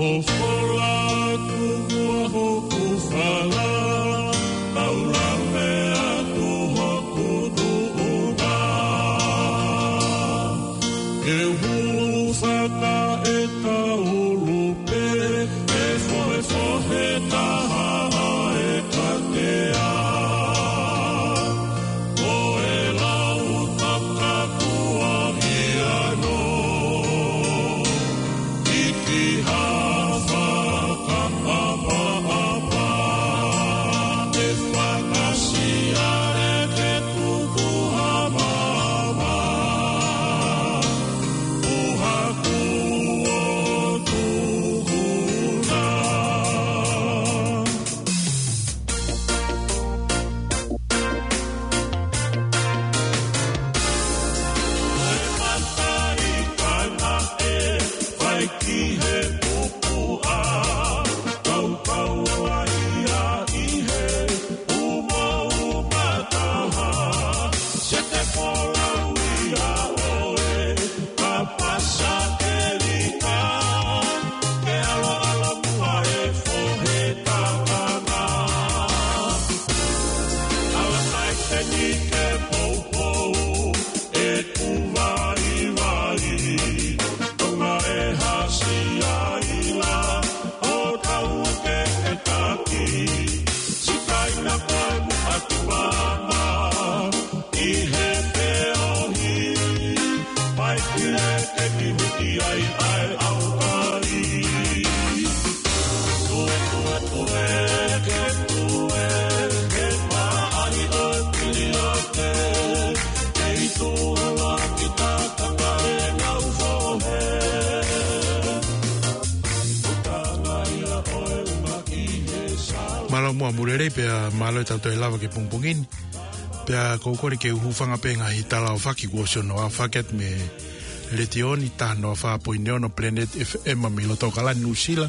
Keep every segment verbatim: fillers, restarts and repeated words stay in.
ʻOku ou fola atu hoku fala, kau lave atu hoku tuʻunga. Ke u hulu faka ʻeta ʻulu pē, ʻe fohefohe taha ʻa e katea. Ko e lau takakua ia no. Iki ha fakaʻapaʻapa, ʻe fakasiale ke tuku ha mama. Uha kuo tuku na. Kapasa ʻElika, ke ʻaloʻalo muʻa e fohe takanga. Ala kai te ni ke poupou, ʻeku vaivai. Tonga e hasi ai la, ʻo tau ke ke taki. Sikaina koe muʻa ki mama. ʻI he feohi, mai ki leke ki huti ai ʻa e ʻaukai. Tue, tue, tue, ke tue, ke paʻahi ʻo pili ake, ke itu ala ki takanga e ngau fohe. Mālō muʻa Mulelei pea mālō e tau toe lava ki he pongipongi ni. Pea ʻoku ou kole ke u hūfanga pē he ngaahi tala ʻo faki kuo ʻosi hono aofaki atu mei he letiō ni, taha noa fā poini ono Planet F M mei loto ʻAokalani, Nuʻusila.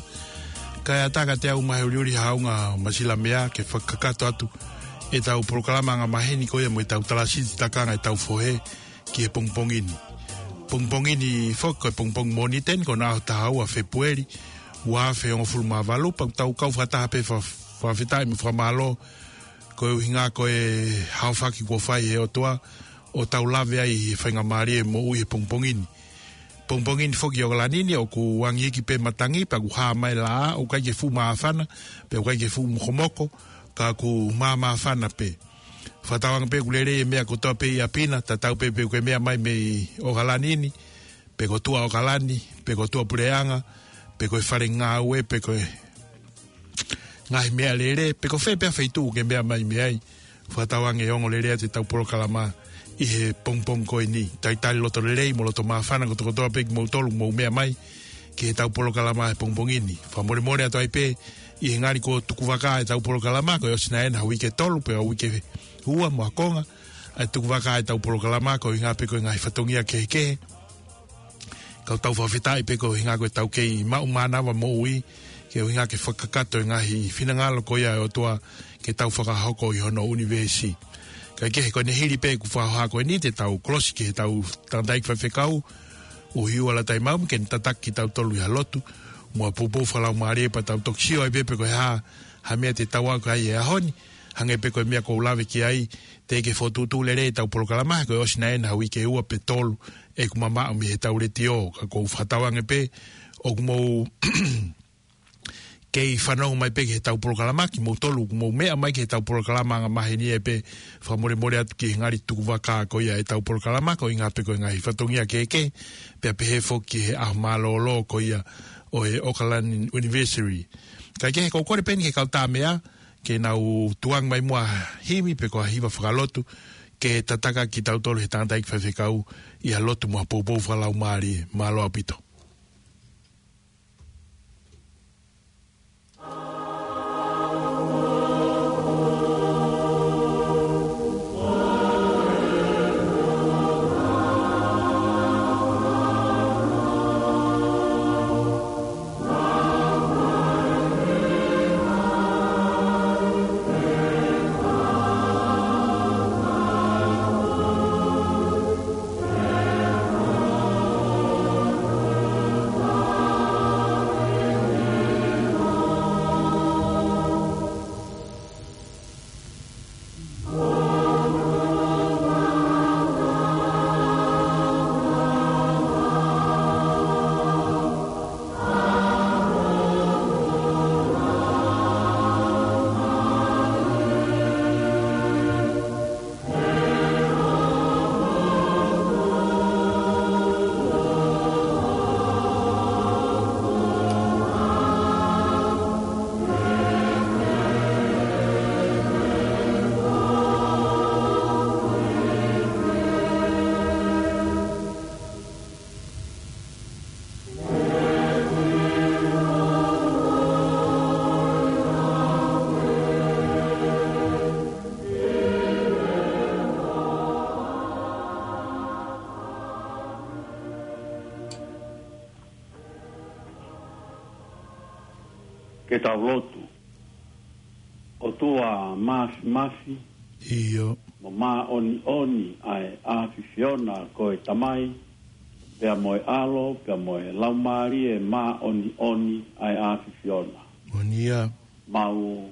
Kae ʻatā kiate au mo e uliuli haunga Masila Mea ke fakakakato atu ʻetau polokalama angamaheni ko ia mo ʻetau tala siti takanga ʻetau fohe ki he pongipongi ni. Pongipongi ni foki ko e pongipongi Mōnite ni, ko hono ʻaho taha ua Fēpueli, ua afe hongofulu mā valu, pea ʻoku tau kau fakataha pē fa-, fakafetaʻi mo fakamālō koeʻuhi ko e aofaki kuo fai ʻe he ʻOtua ʻo tau lave ai he faingamālie moʻui he pongipongi ni. Pongipongi ni foki ʻi ʻAokalani ni ʻoku angi hiki pē matangi pea ʻoku hā mai e laʻā, ʻoku ʻikai ke fuʻu māfana, pea ʻoku ʻikai ke fuʻu mokomoko, ka ʻoku māmāfana pē. Fakatauange pē ʻoku lelei e meʻa kotoa pē ʻi ʻapi na, tatau pē pe ʻoku ke meʻa mai mei ʻAokalani ni, pe ko tuʻa ʻAokalani, pe ko tuʻa puleʻanga, pe ko e fale ngāue, pe ko e ngaahi meʻalele, pe ko fē pē feituʻu ʻoku ke meʻa mai mei ai. Fakatauange ʻe ongo lelei atu ʻetau polokalama ʻi he pongipongi ko eni. Talitali loto lelei mo loto māfana kotokotoa pē kimoutolu ʻoku mou meʻa mai ki heʻetau polokalama he pongipongi ni. Fakamolemole atu ai pē ʻi he ngali kuo tukuvakā ʻetau polokalama, ko e ʻosi nai ʻena ha uike ʻe tolu, pe ha uike ʻe ua mo ha konga ʻa e tukuvakā ʻetau polokalama, koeʻuhi pē ko e ngaahi fatongia kehekehe. Ka ʻoku tau fakafetaʻi pē koeʻuhi ko ʻetau kei maʻu mānava moʻui, koeʻuhi ke fakakakato e ngaahi finangalo ko ia ʻo e ʻOtua ke tau fakahoko ʻi hono ʻunivēsi. Kae kehe, ko ʻene hili pē ʻeku fakahoha ko eni te tau kolosi ki heʻetau tangataʻeiki faifekau, ʻUhiua Lataimau, ke ne tataki kitautolu ʻi ha lotu mo ha poupou fakalaumālie pea tau toki sio ai pē pe ko e hā ha meʻa te tau ako ai he ʻaho ni, hangē pē ko e meʻa ʻoku ou lave ki ai, teʻeki ke fokotuʻutuʻu lelei ʻetau polokalama, ko e ʻosi nai ʻena ha uike ʻe ua pe tolu ʻeku mamaʻo mei heʻetau letiō, ka ʻoku ou fakatauange pē ʻoku mou kei fanongo mai pē ki heʻetau polokalama, kimoutolu ʻoku mou meʻa mai ki heʻetau polokalama angamaheni ai pē, fakamolemole atu ki he ngali tukuvakā ko ia ʻetau polokalama, koeʻuhi pē ko e ngaahi fatongia kehekehe, pea pehē foki ki he ʻaho mālōlō ko ia ʻo e ʻAokalani University. Kae kehe, ʻoku ou kole pē eni ki he kau tā meʻa, ke nau tukuange mai muʻa ha himi pe ko ha hiva fakalotu, ke tataki kitautolu ʻe he tangataʻeiki faifekau ʻi ha lotu mo ha poupou fakalaumālie. Mālō ʻaupito. Ke tau lotu. ʻOtua Māfimafi, ʻio, mo māʻoniʻoni ʻa e ʻAfiona, ko e Tamai, pea mo e ʻAlo, pea mo e Laumālie Māʻoniʻoni ʻa e ʻAfiona. Moʻoni ia. Mau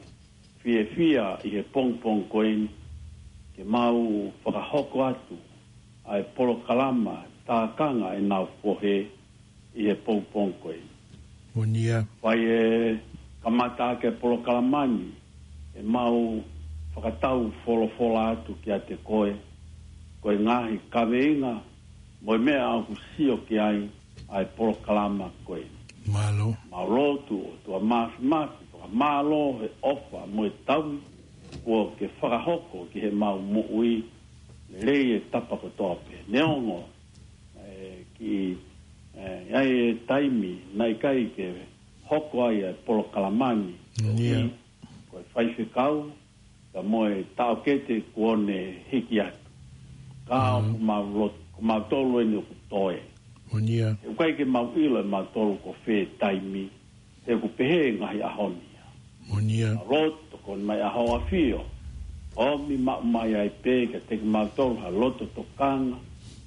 fiefia ʻi he pongipongi ko eni ke mau fakahoko atu ʻa e polokalama tākanga ʻenau fohe ʻi he pongipongi ko eni. Moʻoni ia. Fai e kamata ʻaki e polokalama ni, ʻe mau fakatau folofola atu kiate koe, ko e ngaahi kaveinga mo e meʻa ʻoku sio ki ai ʻa e polokalama ko eni. Mālō. Mau lotu, ʻOtua Māfimafi, fakamālō he ʻofa mo e taui kuo ke fakahoko ki heʻemau moʻui, lelei e tapa kotoa pē. Neongo ʻe kiʻi, ʻe, ʻi ai e taimi naʻe ʻikai ke hoko ai e polokalama ni. Moʻoni ia. Ko e faifekau, ka mo e taʻokete kuo ne hiki atu. Ka, mm, ʻoku mau lotu, ko mautolu eni ʻoku toe. Moʻoni ia. He ʻoku ʻikai ke mau ʻilo ʻe mautolu ko fē taimi, he ʻoku pehē e ngaahi ʻaho ni ia. Moʻoni ia. Mau lotu, tokoni mai ʻa Hoʻo ʻAfio, ʻomi maʻu mai ai pē kiate kimautolu ha loto tokanga,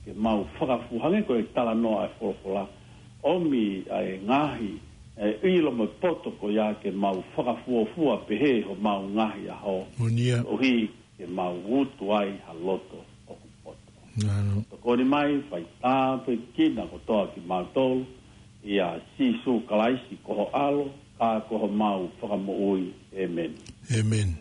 ke mau fakafuofua hangē ko e talanoa ʻa e folofola. ʻOmi ʻa e ngaahi, ʻe, ʻilo mo e poto ko ia ke mau fakafuofua pehē homau ngaahi ʻaho. Moʻoni ia. ʻOhi ke mau utu ai ha loto ʻoku poto. Mālō. Tokoni mai, fai tāpuekina kotoa kimautolu, ʻia Sīsū Kalaisi ko ho ʻAlo, ka ko homau Fakamoʻui. ʻĒmeni. ʻĒmeni.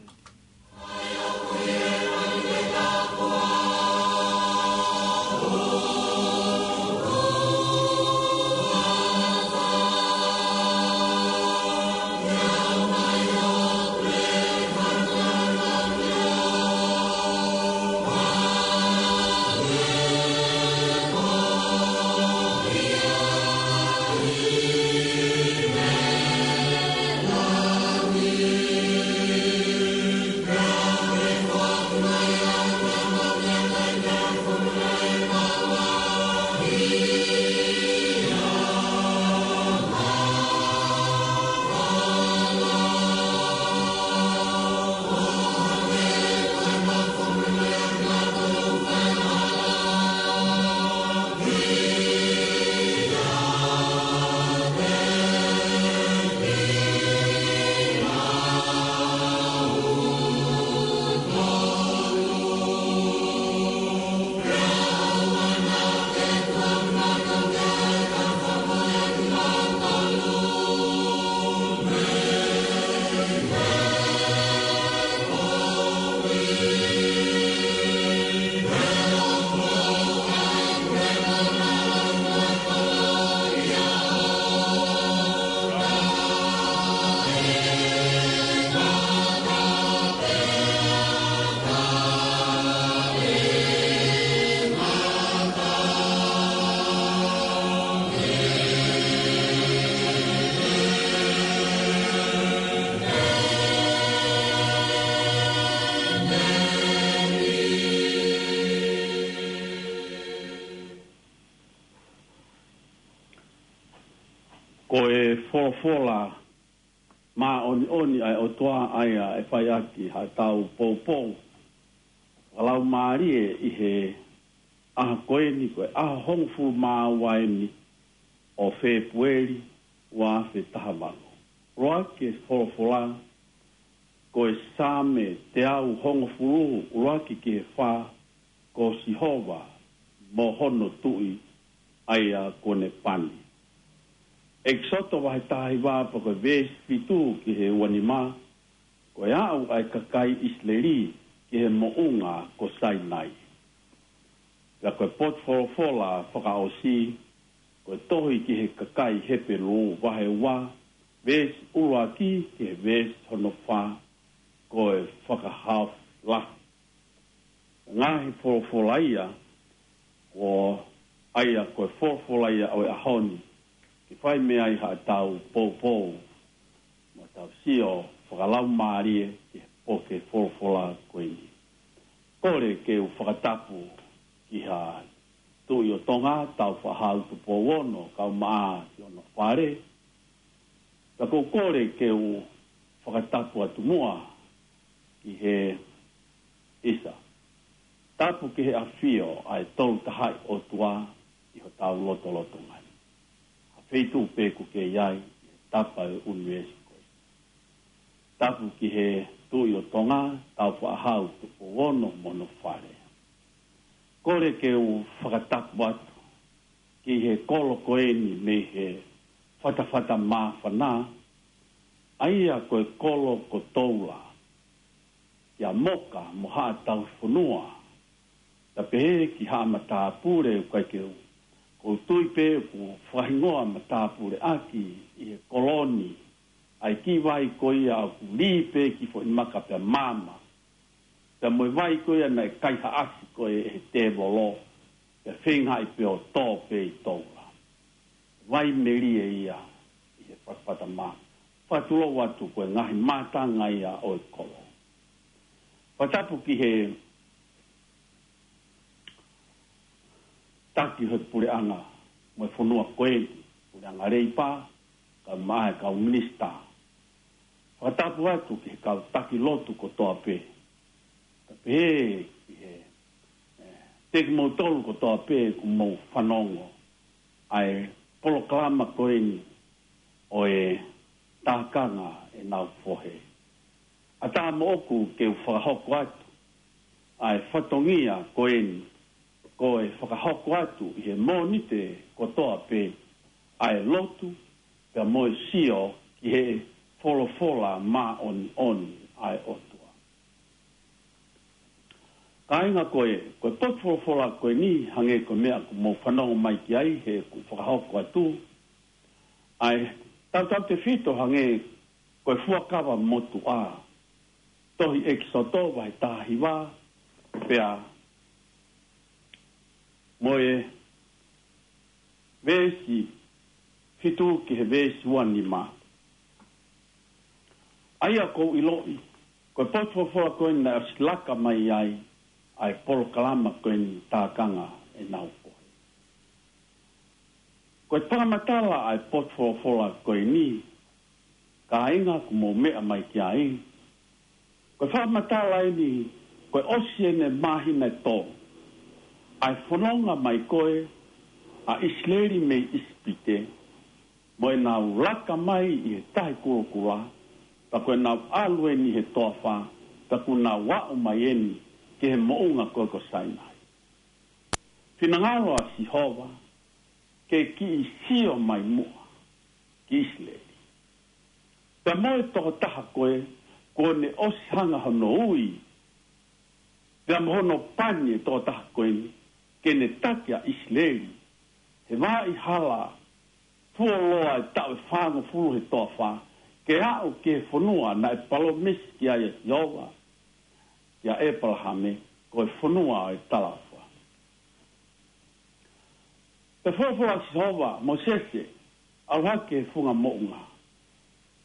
Ko e folofola māʻoniʻoni ʻa e ʻOtua ʻa ia ʻe fai ʻaki haʻatau poupou. Fakalaumālie ʻi he ʻaho ko eni, ko e ʻaho hongofulu mā ua eni ʻo Fēpueli ua afe taha valu. ʻUluaki e folofola, ko e Saame teau hongofulu, ʻuluaki ki he fā, ko Sihova mo hono tuʻi, ʻa ia kuo ne pani. ʻEkisoto vahe taha hiva, pea ko e veesi fitu ki he ua nima, ko e aʻu ʻa e kakai ʻIsileli ki he moʻunga ko Sainai. Pea ko e potu folofola fakaʻosi, ko e tohi ki he kakai Hepelū vahe ua, veesi ʻuluaki ki he veesi hono fā, ko e fakahaofi lahi. Ngaahi folofola ia, ko ia ko e folofola ia ʻo e ʻaho ni, ke fai mei ai haʻatau poupou, mo tau sio fakalaumālie ki he poke folofola ko eni. Kole ke u fakatapu ki ha Tuʻi ʻo Tonga, Tāufaʻāhau Tupou Ono, kau mai ki hono fale. Ka ʻoku ou kole ke u fakatapu atu muʻa ki he ʻisa. Tapu ki he ʻafio ʻa e Tolu Tahaʻi ʻOtua ʻi hotau lotolotonga ni. Ha feituʻu pē ʻoku ke ʻi ai, ʻi he tapa ʻo e ʻunivēsi ko ē. Tapu ki he Tuʻi ʻo Tonga, Tāufaʻāhau Tupou Ono mo hono fale. Kole ke u fakatapu atu ki he kolo ko eni mei he Fatafata Māfana, ʻa ia ko e kolo ko Toula, kia Moka mo Haʻa Tauhi Fonua, pea pehē ki Haʻa Matāpule. ʻOku ʻikai ke u, ʻoku ou tui pē ʻoku fakahingoa matāpule ʻaki ʻi he kolo ni ʻa e kiʻi vai ko ia ʻoku lī pē ki foʻi maka pea maama. Pea mo e vai ko ia naʻe kaihaʻasi ko ē ʻe he tēvolo, pea feingaʻi pē ʻo tō pē ʻi Toula. Vai melie ia ʻi he Fatafata Mā. Fakatulou atu ko e ngaahi mātanga ia ʻo e kolo. Fakatapu ki he taki ʻo e puleʻanga mo e fonua ko eni, puleʻanga Leipa, kae ʻumaʻā e kau minisitā. Fakatapu atu ki he kau taki lotu kotoa pē. Pea pehē ki he, ē, kiate kimoutolu kotoa pē ʻoku mou fanongo ʻa e polokalama ko eni ʻo e Tākanga ʻEnau Fohe. ʻAtā moʻoku ke u fakahoko atu ʻa e fatongia ko eni, ko e fakahoko atu ʻi he Mōnite kotoa pē ʻa e lotu, pea mo e sio ki he folofola māʻoniʻoni ʻa e ʻOtua. Kāinga, ko e, ko e potu folofola ko eni, hangē ko e meʻa ʻoku mou fanongo mai ki ai heʻeku fakahoko atu, ʻa e tautautefito hangē ko e Fuakava Motuʻa, tohi ʻEkisoto vahe taha hiva, pea mo e veesi fitu ki he veesi ua nima. ʻA ia ʻoku ou ʻiloʻi, ko e potu folofola ko eni naʻe ʻosi laka mai ai ʻa e polokalama ko eni Tākanga ʻEnau Fohe. Ko e fakamatala ʻa e potu folofola ko eni, kāinga, ʻoku mou meʻa mai ki ai. Ko e fakamatala eni, ko e ʻosi eni e māhina ʻe tolu ʻa e fononga mai ko ē ʻa ʻIsileli mei ʻIsipite, mo ʻenau laka mai ʻi he Tahi Kulokula, pea ko ʻenau ʻalu eni he toafa, pea kuo nau aʻu mai eni ki he moʻunga ko ē ko Sainai. Finangalo ʻa Sihova ke kiʻi sio mai muʻa ki ʻIsileli, pea mo e tokotaha ko ē kuo ne ʻosi hanga hono ui, pea mo hono pani e tokotaha ko eni ke ne taki ʻa ʻIsileli he vaʻa hala fuoloa e taʻu ʻe fāngofulu he toafa, ke aʻu ki he fonua naʻe palōmesi ki ai ʻa Sihova kia ʻĒpalahame, ko e fonua ʻo e talaʻofa. Pea folofola ʻa Sihova, Mōsese, ʻalu hake he funga moʻunga.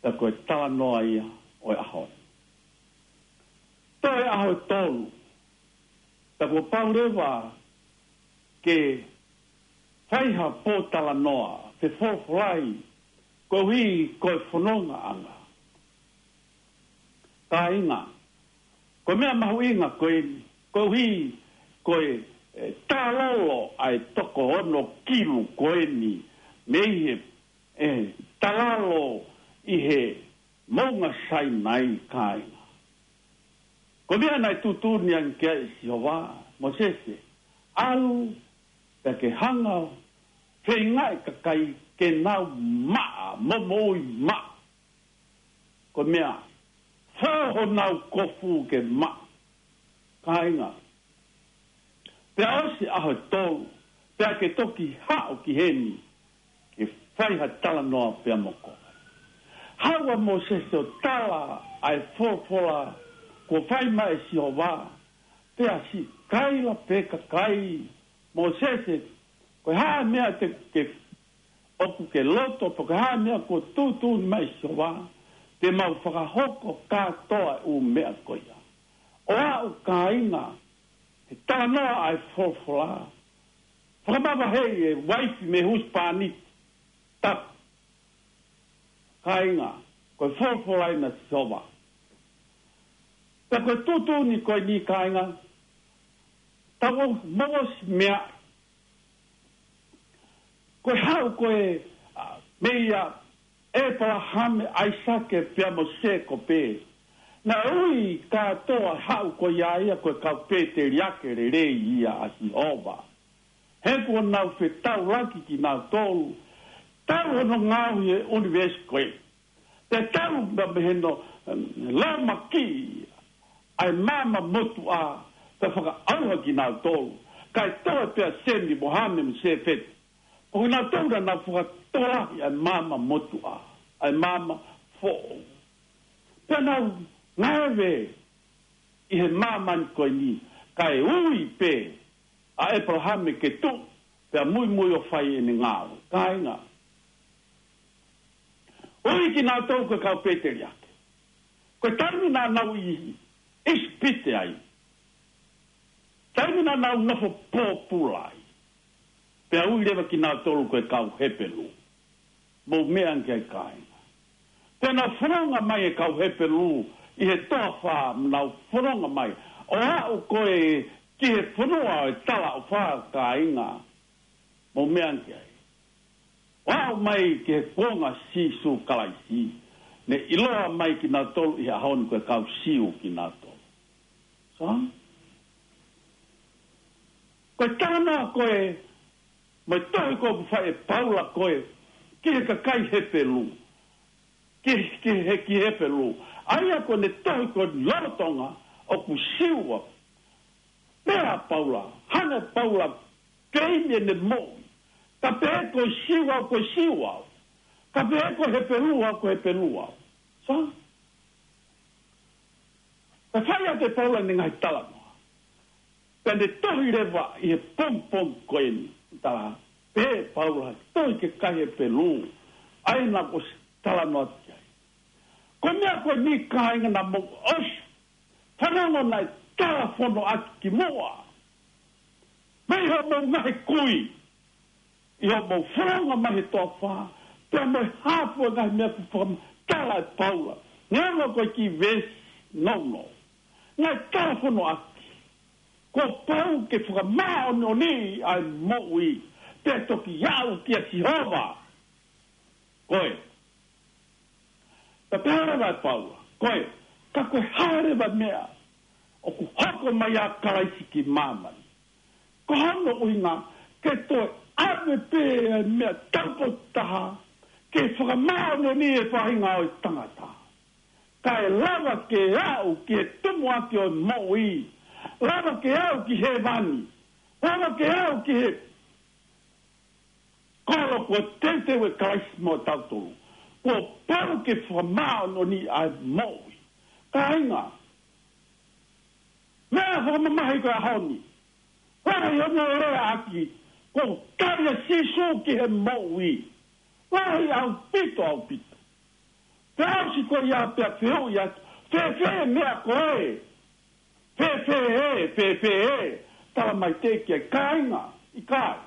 Pea ko e talanoa ia ʻo e ʻaho ni. Toe ʻaho ʻe tolu, pea kuo pau leva ke fai ha pōtalanoa fefolofolai koeʻuhi ko e fonongaʻanga. Kāinga, ko e meʻa mahuʻinga ko eni, koeʻuhi ko e, e, talalo ʻa e toko ono kilu ko eni mei he, e, talalo ʻi he moʻunga Sainai, kāinga. Ko e meʻa naʻe tuʻutuʻuni ange ki ai ʻe Sihova, Mōsese, ʻalu pea ke hanga ʻo feingaʻi kakai ke nau maʻa, momoʻui maʻa. Ko e meʻa, fō honau kofu ke maʻa. Kāinga, pea ʻosi ʻaho ʻe tolu, pea ke toki haʻu ki heni, ke fai ha talanoa pea mo koe. Haʻu ʻa Mōsese ʻo tala ʻa e folofola kuo fai mai ʻe Sihova, pea siʻi kaila pē kakai, Mōsese, ko e hā e meʻa te ke, ʻoku ke loto, pe ko e hā e meʻa kuo tuʻutuʻuni mai ʻe Sihova, te mau fakahoko kātoa e ʻū meʻa ko ia. ʻO aʻu, kāinga, he talanoa ʻa e folofola, fakamavaheʻi e uaifi mei he husepāniti. Tapu. Kāinga, ko e folofola ʻa Sihova. Pea ko e tuʻutuʻuni ko eni kāinga, tau mou ʻosi meaʻi. Ko e haʻu ko ē, ā, meia ʻĒpalahame, ʻAisake pea mo Sēkope. Naʻe ui kātoa haʻu ko ia ia ko e kau pēteliake lelei ia ʻa Sihova. He kuo nau fetaulaki kinautolu, tau hono ngaohi e ʻunivēsi ko ē. Te tau na meheno, em, lōmaki ʻa e maama motuʻa, te fakaʻauha kinautolu. Kae toe pea Semi mo Hame mo Sēfeti. Ko kinautolu naʻa nau fakatokolahi ʻa e maama motuʻa, ʻa e maama foʻou. Pea nau ngāue ʻi he māmani ko eni, kae ui pē ʻa ʻĒpalahame ke tuʻu, pea muimui ʻo fai ʻene ngāue. Kāinga. Ui kinautolu ko e kau pēteliake. Ko e taimi naʻa nau ʻi ʻIsipite ai. Taimi naʻa nau nofo pōpula ai. Pea ui leva kinautolu ko e kau Hepelū. Mou meʻa ange ki ai kāinga. Pea nau fononga mai e kau Hepelū ʻi he toafa, nau fononga mai. ʻO aʻu ko ē ki he fonua ʻo e talaʻofa kāinga. Mou meʻa ange ki ai. ʻO aʻu mai ki he kuonga Sīsū Kalaisi. Ne ʻiloa mai kinautolu ʻi he ʻaho ni ko e kau Siu kinautolu. So? Ko e talanoa ko ē, mo e tohi ko ē ʻoku fai ʻe Paula ko ē, ki he kakai Hepelū. Ki, ki he, ki Hepelū. ʻA ia ko ʻene tohi ko ē lolotonga, ʻoku Siu ʻa. Pea Paula, hanga Paula, keimi ʻene moʻui. Ka pehē ko e Siu au, ko e Siu au. Ka pehē ko e Hepelū au, ko e Hepelū au. So? Ka fai atu ʻe Paula ʻene ngaahi talanoa. Pea ne tohi leva ʻi he pongipongi ko eni. Tala, pehē Paula, tohi ki he kakai Hepelū. ʻA ia naʻa ku ʻosi talanoa ki ai. Ko e meʻa ko eni kāinga naʻa mou ʻosi fanongo naʻe tala fono ʻaki kimuʻa. Mei hoʻomou ngaahi kui. ʻI hoʻomou fononga mai he toafa, pea mo e hā fua e ngaahi meʻa kuo fakamatala ʻe Paula. Neongo ko e kiʻi veesi nounou. Naʻe tala fono ʻaki. Kuo pau ke fakamāʻoniʻoniʻi ʻa e moʻui. Pea toki aʻu kia Sihova. Ko e. Pea pehē leva ʻe Paula. Ko e. Ka ko e hā leva e meʻa. ʻOku hoko mai ʻa Kalaisi ki māmani. Ko hono ʻuhinga, ke toe ʻave pē ʻa e meʻa taupotu taha, ke fakamāʻoniʻoniʻi e faʻahinga ʻo e tangata. Kae lava ke aʻu ki he tumuʻaki ʻo e moʻui, lava ke aʻu ki hēvani, lava ke aʻu ki he kolo kuo teuteu ʻe Kalaisi mo tautolu. Kuo pau ke fakamāʻoniʻoniʻi ʻa e moʻui. Kāinga, meʻa fakamamahi ko e ʻaho ni. Lahi hono leaʻaki, ko e tali ʻa Sīsū ki he moʻui. Lahi ʻaupito, ʻaupito. Pea ʻosi ko ia pea fehuʻi atu, fēfē e meʻa ko ē? Fēfē ē, fēfē ē? Tala mai teʻeki ai, kāinga, ʻikai.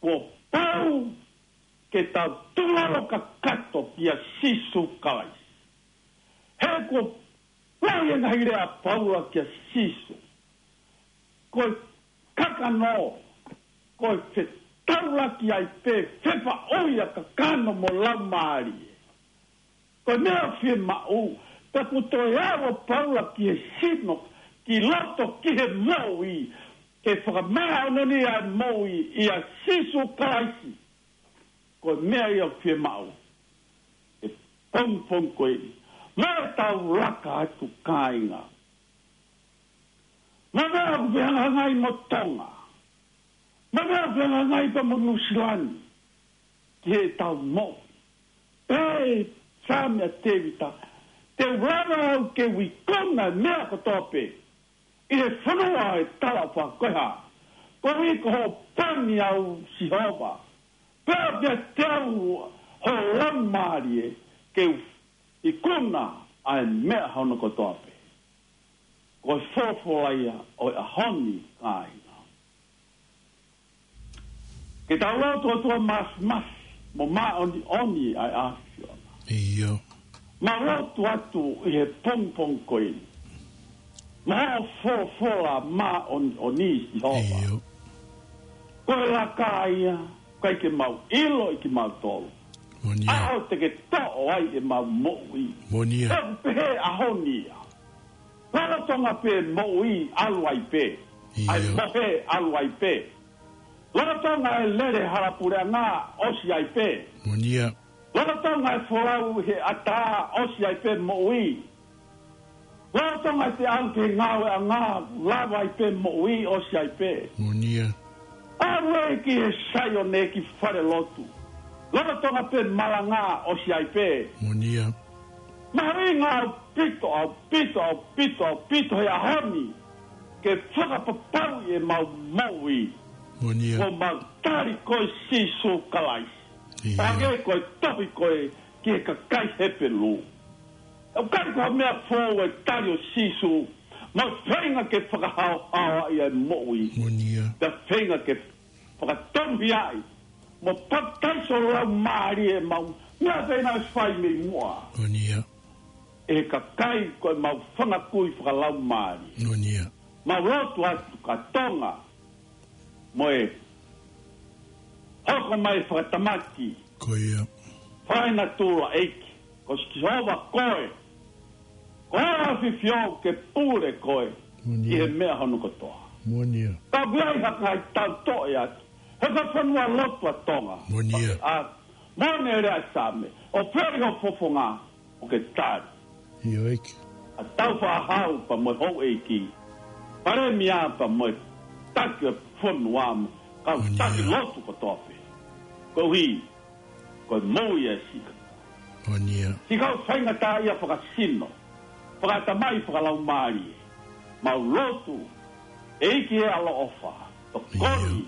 Kuo pau ke tau tūlalo kakato kia Sīsū Kalaisi. He kuo lahi e ngaahi lea ʻa Paula kia Sīsū. Ko e kakano, ko e fetaulaki ai pē, fefaʻuhi ʻa kakano mo laumālie. Ko e meʻa fiemaʻu, pea kuo toe ʻave ʻa Paula ki he sino, ki loto, ki he moʻui, ke fakamāʻoniʻoniʻi ʻa e moʻui ʻia Sīsū Kalaisi. Ko e meʻa ia ʻoku fiemaʻu. ʻE pongipongi ko eni. Mo e tau laka atu kāinga. Mo e meʻa ʻoku fehangahangai mo Tonga. Mo e meʻa ʻoku fehangahangai pea mo Nuʻusila ni. Ki heʻetau moʻui. Pea Saame ʻa Tēvita. Te u lava au ke u ikuna e meʻa kotoa pē. ʻI he fonua ʻo e talaʻofa ko e hā. Koeʻuhi ko hoʻo pani au Sihova. Pea ʻoku ʻiate au ho laumālie ke u ikuna ʻa e meʻa hono kotoa pē. Ko e folofola ia ʻo e ʻaho ni kāinga. Ke tau lotu ʻOtua Māfimafi. mo māʻoniʻoni ʻa e ʻAfiona. ʻIo. Mau lotu atu ʻi he pongipongi ko eni. Mo hoʻo folofola māʻoniʻoni, Sihova. ʻIo. Ko e laka ia, ʻikai ke mau ʻilo ʻe kimautolu. Moʻoni ia. ʻAho te ke toʻo ai ʻemau moʻui. Moʻoni ia. ʻOku pehē ʻaho ni ia. Lolotonga pē moʻui ʻalu ai pē. ʻIo. ʻAi mohe ʻalu ai pē. Lolotonga e lele hala puleʻanga ʻosi ai pē. Moʻoni ia. Lolotonga e folau he ʻatā ʻosi ai pē moʻui. Lolotonga e te ʻalu ki he ngāueʻanga lava ai pē moʻui ʻosi ai pē. Moʻoni ia. ʻAlu ē ki he Saione ki fale lotu. Lolotonga pē malanga ʻosi ai pē. Moʻoni ia. Mahuʻinga ʻaupito, ʻaupito, ʻaupito, ʻaupito he ʻaho ni. Ke fakapapauʻi ʻemau moʻui. Moʻoni ia. Ko mau tali koe Sīsū Kalaisi. ʻIo. Pea ke ko e tohi ko ē ki he kakai Hepelū. ʻOku ʻikai ko ha meʻa foʻou e tali ʻo Sīsū, mo e feinga ke fakahaohaoaʻi e moʻui. Moʻoni ia. Pea feinga ke fakatonuhiaʻi, mo papitaiso Laumālie ʻemau, meʻa pē naʻe fai mei muʻa. Moʻoni ia. ʻE he kakai ko ʻemau fanga kui fakalaumālie. Moʻoni ia. Mau lotu atu kia Tonga, mo e hoko mai fakatamaki. Ko ia. Fainatula ʻEiki, ko Sihova koe. Ko e ʻAfio ke pule koe. Moʻoni ia. ʻI he meʻa hono kotoa. Moʻoni ia. Ka ʻoku ʻi ai ha kakai tau toʻe atu. He ko e fonua lotu ʻa Tonga. Moʻoni ia. ʻA, moʻoni e lea ʻa e Saame. ʻO feli ho fofonga, ʻo ke tali. ʻIo ʻEiki. ʻA e tau fakahau pea mo e houʻeiki. Palēmia pea mo e taki ʻo e fonua mo. Kau Moʻoni ia. Taki lotu kotoa pē. Koeʻuhi. Ko e moʻui ʻa e siʻi kau. Moʻoni ia. Siʻi kau faingataʻaʻia fakasino. Fakatamai fakalaumālie. Mau lotu. ʻEiki ʻe ʻaloʻofa. Tokoni. ʻIo.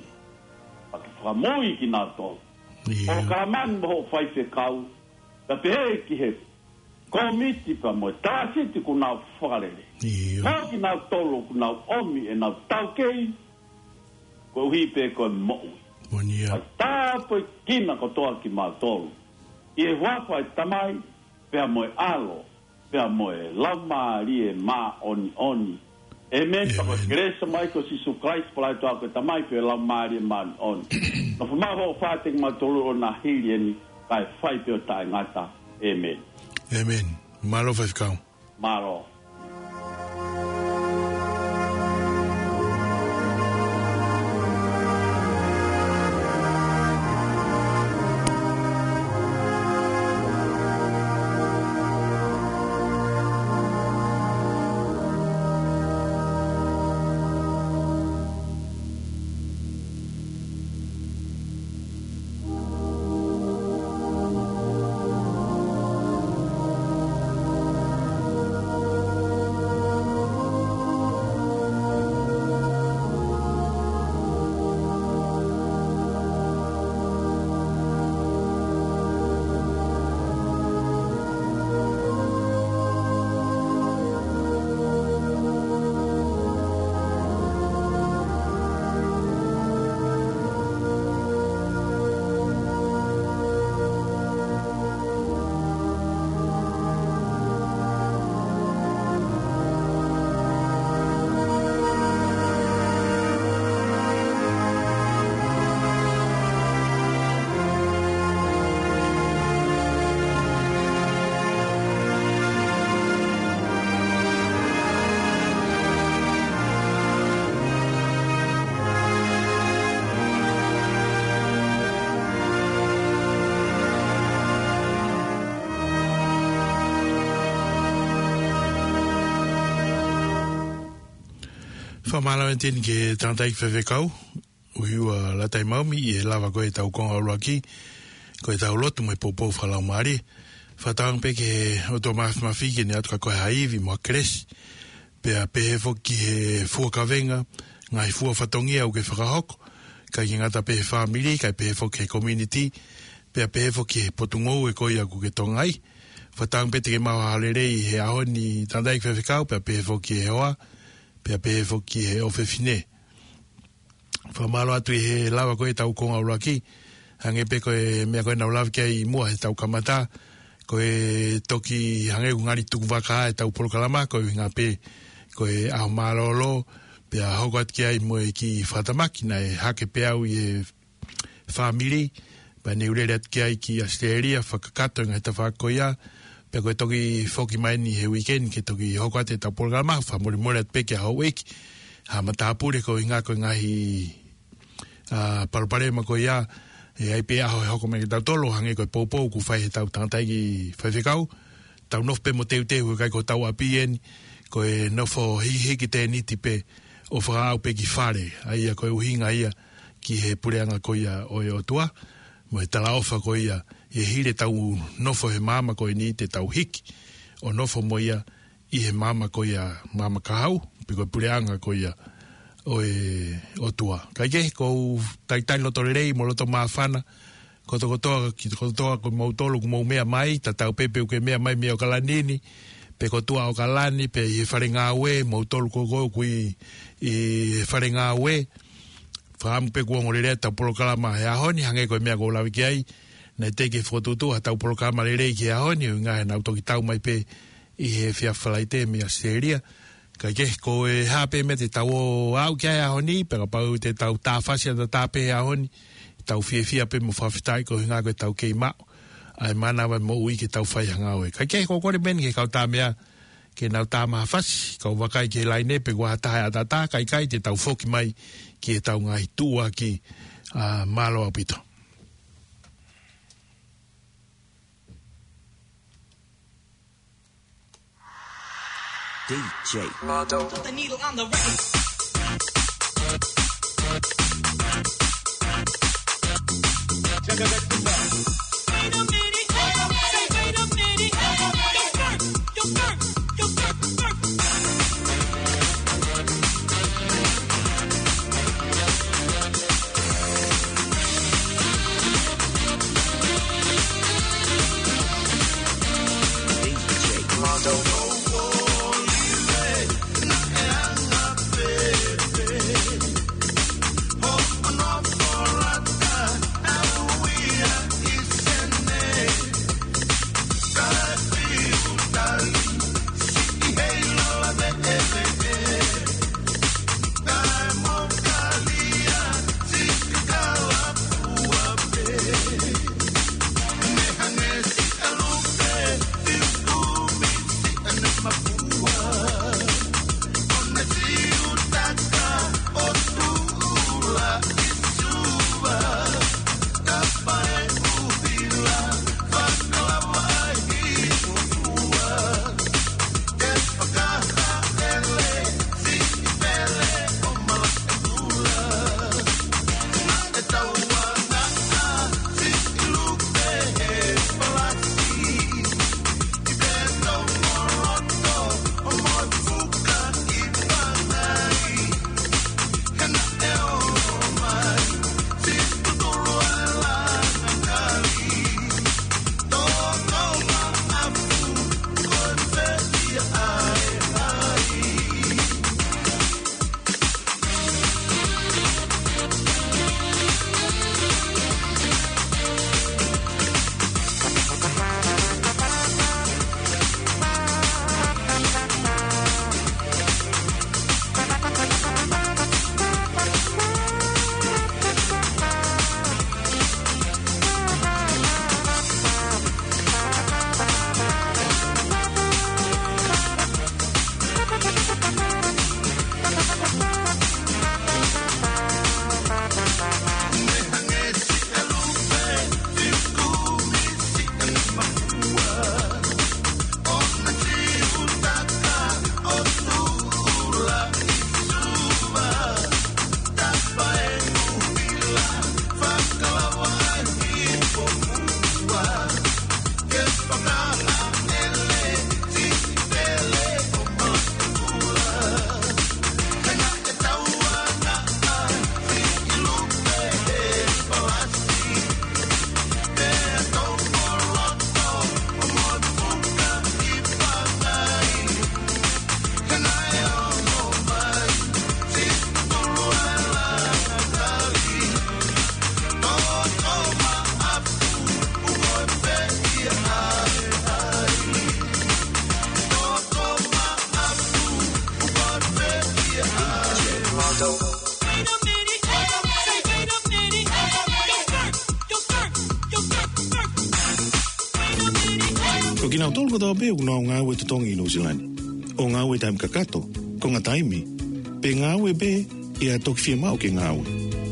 Pea ke fakamoʻui kinautolu. ʻIo. ʻO kalamani mo hoʻo faifekau. Pea pehē ki he kōmiti pea mo e talāsiti kuo nau fakalele. ʻIo. Mo kinautolu kuo nau ʻomi ʻenau taukei. Koeʻuhi pē ko e moʻui. Moʻoni ia. Pea tāpuekina kotoa kimautolu. ʻI he huafa ʻo e Tamai, pea mo e ʻAlo, pea mo e Laumālie Māʻoniʻoni. ʻĒmeni. Pea ko e kelesi ʻa e ʻEiki ko Sīsū Kalaisi, pea ʻofa ʻa e ʻOtua ko e Tamai, pea mo e Laumālie Māʻoniʻoni. Nofo maʻu hoʻo ʻofa kiate kimautolu ʻo na hili eni, kae fai pē ʻo taʻengata. ʻĒmeni. ʻĒmeni. Mālō faifekau. Mālō. Fakamālō ʻEteni ki he tangataʻeiki faifekau, ʻoku ʻi ai ʻa e lata ʻi Maumi, ʻi he lava ko ē ʻetau konga ʻuluaki, ko ʻetau lotu mo e poupou fakalaumālie. Fakatauange pē ki he ʻOtua Māfimafi ke ne ʻatu kiate koe ha ivi mo ha kelesi. Pea pehē foki ki he fua kavenga, ngaahi fua fatongia ʻoku ke fakahoko, ʻikai ke ngata pē he fāmili, kae pehē foki ki he community, pea pehē foki ki he potungāue ko ia ʻoku ke tokangaʻi. Fakatauange pē te ke maʻu ha lelei he ʻaho ni tangataʻeiki faifekau, pea pehē foki ki he hoa, pea pehē foki ki he ʻofefine. Fakamālō atu ʻi he lava ko ē ʻetau konga ʻuluaki, Hangē pē ko e meʻa ko ē naʻa ku lave ki ai ʻi muʻa heʻetau kamata, ko e toki hangē ʻoku ngali tukuvaka ʻetau polokalama, ko e ʻuhinga pē ko e ʻaho mālōlō, pea hoko atu ki ai mo e kiʻi fakatamaki naʻe hake pē au ʻi he fāmili, pea ne u lele atu ki ai ki ʻAositelēlia, fakakakato e ngaahi tafaʻaki ko ia, pea ko e toki foki mai eni he uike ni ke toki hoko atu ʻetau polokalama, fakamolemole atu pē ki he houʻeiki, ha matāpule ko e ʻuhinga ko e ngaahi, ʻa, palopalema ko ia, ʻe ʻi ai pē ʻaho ʻe hoko mai kiate kitautolu, hangē ko e poupou ʻoku fai heʻetau tangataʻeiki faifekau, tau nofo pē mo teuteu, ʻikai ko hotau ʻapi eni, ko e nofo hihiki tēniti pē ʻo fakaaʻu pē ki fale, ʻa ia ko e ʻuhinga ia ki he puleʻanga ko ia ʻo e ʻOtua, mo e talaʻofa ko ia, ʻi he hili ʻetau nofo he maama ko eni te tau hiki ʻo nofo mo ia ʻi he maama ko ia, maama kahaʻu, pe ko e puleʻanga ko ia ʻo e ʻOtua. Kae kehe, ʻoku ou talitali loto lelei mo loto māfana, kotokotoa, ki kotokotoa ko moutolu ʻoku mou meʻa mai, tatau pē pe ʻoku ke meʻa mai mei ʻAokalani ni, pe ko tuʻa ʻAokalani, pe ʻi he fale ngāue, moutolu ko ē ʻoku ʻi, ʻi he fale ngāue, fakaʻamu pē kuo ongo lelei ʻetau polokalama he ʻaho ni, hangē ko e meʻa kuo u lave ki ai, naʻe teʻeki fokotuʻutuʻu haʻatau polokalama lelei ki he ʻaho ni, ʻuhinga he naʻa ku toki tau mai pē ʻi he efiafi Falaite mei ʻAositelēlia. Kae kehe, ko e hā pē meʻa te tau ō ʻo aʻu ki ai he ʻaho ni, pea kapau te tau tāfasi ʻataʻatā pē he ʻaho ni, tau fiefia pē mo fakafetaʻi ko e ʻuhinga ko ʻetau kei maʻu ʻa e mānava moʻui ke tau fai ha ngāue. Kae kehe, ʻoku ou kole pē eni ki he kau tāmeʻa ke nau tā mai ha fasi, kau vakai ki he laine pe ʻoku ʻi ai ha taha ʻe ʻataʻatā, kae ʻikai te tau foki mai ki heʻetau ngaahi tuʻuaki, ʻa, mālō ʻaupito. D J Mardo. Put the needle on the record. Wait a minute, wait a minute, wait a minute. Yo, Ferg, yo, Ferg, yo, Ferg, yo, Ferg. Kinautolu kotoa pē ʻoku nau ngāue totongi ʻi Nuʻusila ni, ʻo ngāue taimi kakato, konga taimi, pe ngāue pē ʻi ha toki fiemaʻu ke ngāue,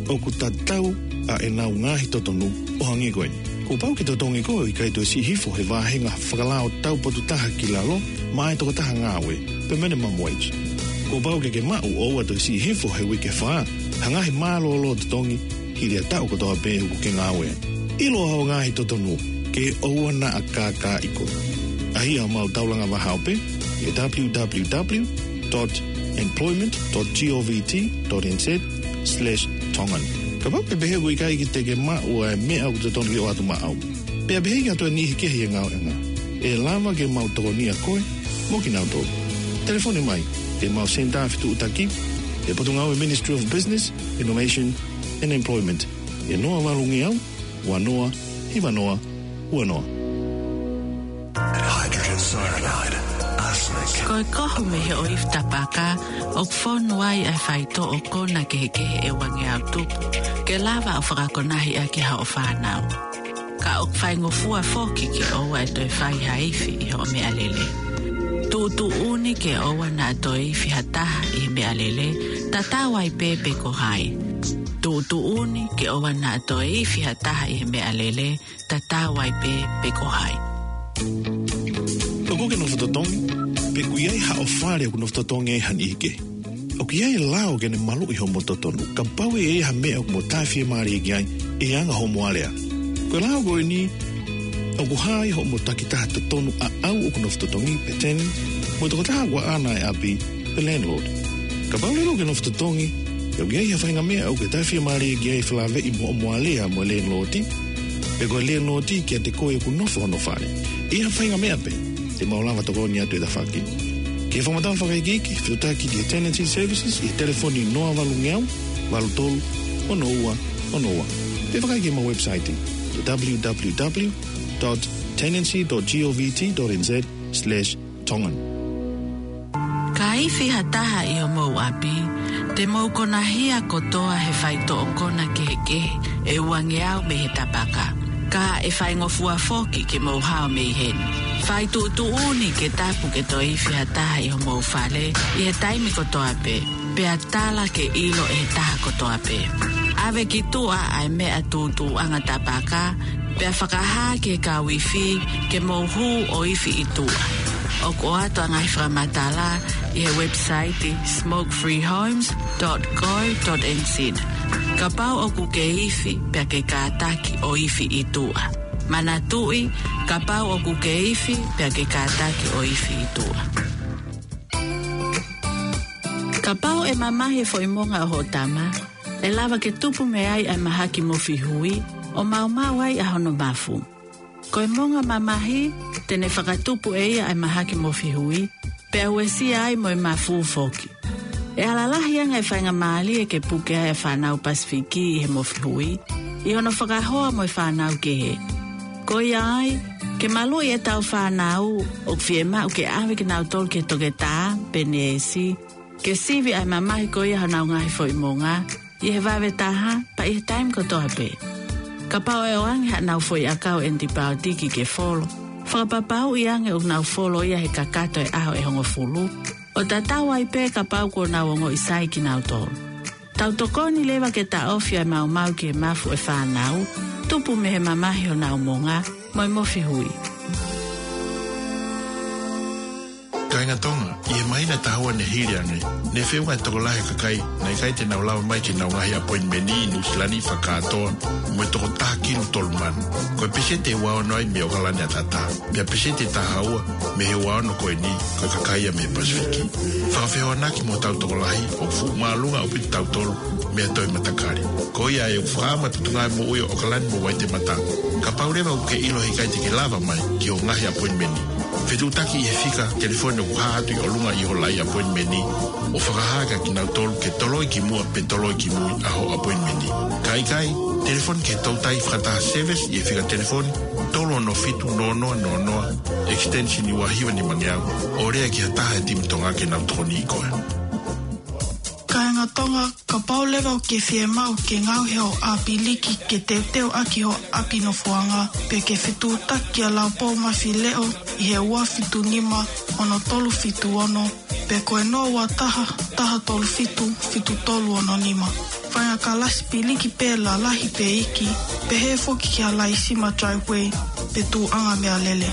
ʻoku tatau ʻa ʻenau ngaahi totonu ʻo hangē ko eni. Kuo pau ke totongi koe ʻo ʻikai toe siʻi hifo he vāhenga fakalao taupotu taha ki lalo maʻa e tokotaha ngāue, pe minimum wage. Kuo pau ke ke maʻu ʻo ʻoua toe siʻi hifo he uike fā ha ngaahi mālōlō totongi hili ha taʻu kotoa pē ʻoku ke ngāue ai. ʻIloa hoʻo ngaahi totonu ke ʻoua naʻa kākaaʻi koe. ʻAʻahi ʻemau taulanga vahaope ʻi he w w w dot employment dot govt dot n z slash tongan. Kapau ʻoku ke pehē ʻoku ʻikai ke te ke maʻu ʻa e meʻa ʻoku totonu ke ʻoatu maʻau, pea pehē ʻoku ʻi ai ha niʻihi kehe ʻi he ngāueʻanga, ʻe lava ke mau tokonia koe mo kinautolu. Telefoni mai ki heʻemau senitā fetuʻutaki ʻi he Potungāue Ministry of Business, Innovation and Employment, ʻi he noa valu ngeau, ua noa, hiva noa, ua noa. Hydrogen cyanide, arsenic. Ko e kohu mei he ʻoifi tapaka ʻoku fonu ai ʻa e faitoʻo kona kehekehe ʻe ua ngeau tupu ke lava ʻo fakakonahi ʻaki hoʻo fānau. Ka ʻoku faingofua foki ke ʻoua ʻe toe fai ha ifi ʻi hoʻo meʻalele. Tuʻutuʻuni ke ʻoua naʻa toe ifi ha taha ʻi he meʻalele, tatau ai pē pe ko hai. Tuʻutuʻuni ke ʻoua naʻa toe ifi ha taha ʻi he meʻalele, tatau ai pē pe ko hai. ʻOku ke nofo totongi, pe ʻoku ʻi ai haʻo fale ʻoku nofo totongi ai ha niʻihi kehe? ʻOku ʻi ai e lao ke ne maluʻi hoʻomo totonu kapau ʻe ʻi ai ha meʻa ʻoku mo tāfiemālie ki ai ʻi he anga hoʻomo alea. Ko e lao ko eni ʻoku hā ai hoʻomo takitaha totonu ʻaʻau ʻoku nofo totongi pe tenant, mo e tokotaha ʻoku ʻaʻana e ʻapi pe landlord. Kapau leva ʻoku ke nofo totongi, pea ʻoku ʻi ai ha faʻahinga meʻa ʻoku ke tāfiemālie ki ai, felāveʻi mo hoʻomo alea mo e landlord, pe ko e landlord kiate koe ʻoku nofo hono fale, ʻi ha faʻahinga meʻa pē, te mau lava tokoni atu e tafaʻaki. Ke fakamatala fakaikiiki, fetuʻutaki ki he Tenancy Services ʻi he telefoni noa valu ngeau, valu tolu, ono ua, ono ua. Pe vakai ki heʻemau website, w w w dot tenancy dot govt dot n z slash tongan. Ka ifi ha taha ʻi homou ʻapi, te mou konahia kotoa he faitoʻo kona kehekehe ʻe ua ngeau mei he tapaka. Ka ʻe faingofua foki ke mou hao mei heni. Fai tuʻutuʻuni ke tapu ke toe ifi ha taha ʻi homou fale ʻi he taimi kotoa pē, pea tala ke ʻilo ʻe he taha kotoa pē. ʻAve ki tuʻa ʻa e meʻa tuʻutuʻuʻanga tapaka, pea fakahā ki he kau ifi ke mou hū ʻo ifi ʻi tuʻa. ʻOku ʻoatu ʻa e ngaahi fakamatala ʻi he website smoke free homes dot co dot n z. Kapau ʻoku ke ifi pea ke kātaki ʻo ifi ʻi tuʻa. Manatuʻi, kapau ʻoku ke ifi pea ke kātaki ʻo ifi ʻi tuʻa. Kapau ʻe mamahi e foʻi monga ʻo hoʻo tama, ʻe lava ke tupu mei ai ʻa e mahaki mofi hui, ʻo maumau ai ʻa hono mafu. Ko e monga mamahi, te ne fakatupu ʻe ia ʻa e mahaki mofi hui, pea uesia ai mo e mafu foki. ʻE ala lahi ange e faingamālie ke puke ai ʻa e fānau Pasifiki ʻi he mofi hui, ʻi hono fakahoa mo e fānau kehe. Ko ia ai, ke maluʻi ʻetau fānau, ʻoku fiemaʻu ke ʻave kinautolu ki he toketā pe neesi, ke sivi ʻa e mamahi ko ia honau ngaahi foʻi monga, ʻi he vave taha, pea ʻi he taimi kotoa pē. Kapau ʻe ʻoange haʻanau foʻi ʻakau ʻenitipaotiki ke folo, fakapapauʻi ange ʻoku nau folo ia he kakato e ʻaho ʻe hongofulu, ʻo tatau ai pē kapau kuo nau ongoʻi sai kinautolu. Tau tokoni leva ke taʻofi ʻa e maumau ki he mafu ʻo e fānau, tupu mei he mamahi honau monga, mo e mofi hui. Kāinga Tonga, ʻi he māhina ʻe taha ua ne hili ange, ne feʻunga e tokolahi e kakai naʻe ʻikai te nau lava mai ki heʻenau ngaahi appointment ʻi Nuʻusila ni fakakātoa mo e toko taha kilu tolu mano. Ko e peseti ʻe ua ono ai mei ʻOkalani ʻAtatā, pea peseti ʻe taha ua mei he ua ono ko eni, ko e kakai ia mei he Pasifiki. Fakafehoanaki mo hotau tokolahi, ʻoku fuʻu māʻolunga ʻaupito kitautolu mei ha toe matakali. Ko ia ai ʻoku fakaʻamu atu e Potungāue Moʻui ʻo ʻOkalani mo Uaitemata. Kapau leva ʻoku ke ʻilo he ʻikai te ke lava mai ki hoʻo ngaahi appointment, fetuʻutaki ʻi he fika telefoni ʻoku hā atu ʻi ʻolunga ʻi hoʻo laʻi appointment, ʻo fakahā kia kinautolu ke toloi ki muʻa pe toloi ki mui ʻa hoʻo appointment. Ka ʻikai, telefoni ki he toutai fakataha service ʻi he fika telefoni tolu ono fitu noa noa noa noa, extension ua hiva nima ngeau, ʻo lea ki ha taha he timi Tonga ke nau tokoniʻi koe. Kāinga Tonga, kapau leva ʻoku ke fiemaʻu ke ngaohi hoʻo ʻapi liki ke teuteu ʻaki hoʻo ʻapi nofoʻanga, pe ke fetuʻutaki kia Laupō Mafileʻo ʻi he ua fitu nima ono tolu fitu ono, pe ko e noa ua taha, taha tolu fitu, fitu tolu ono nima. Faʻahinga kalasi piliki pē lalahi pe iiki, pehē foki ki ha laisima driveway, pe tuʻuʻanga meʻalele.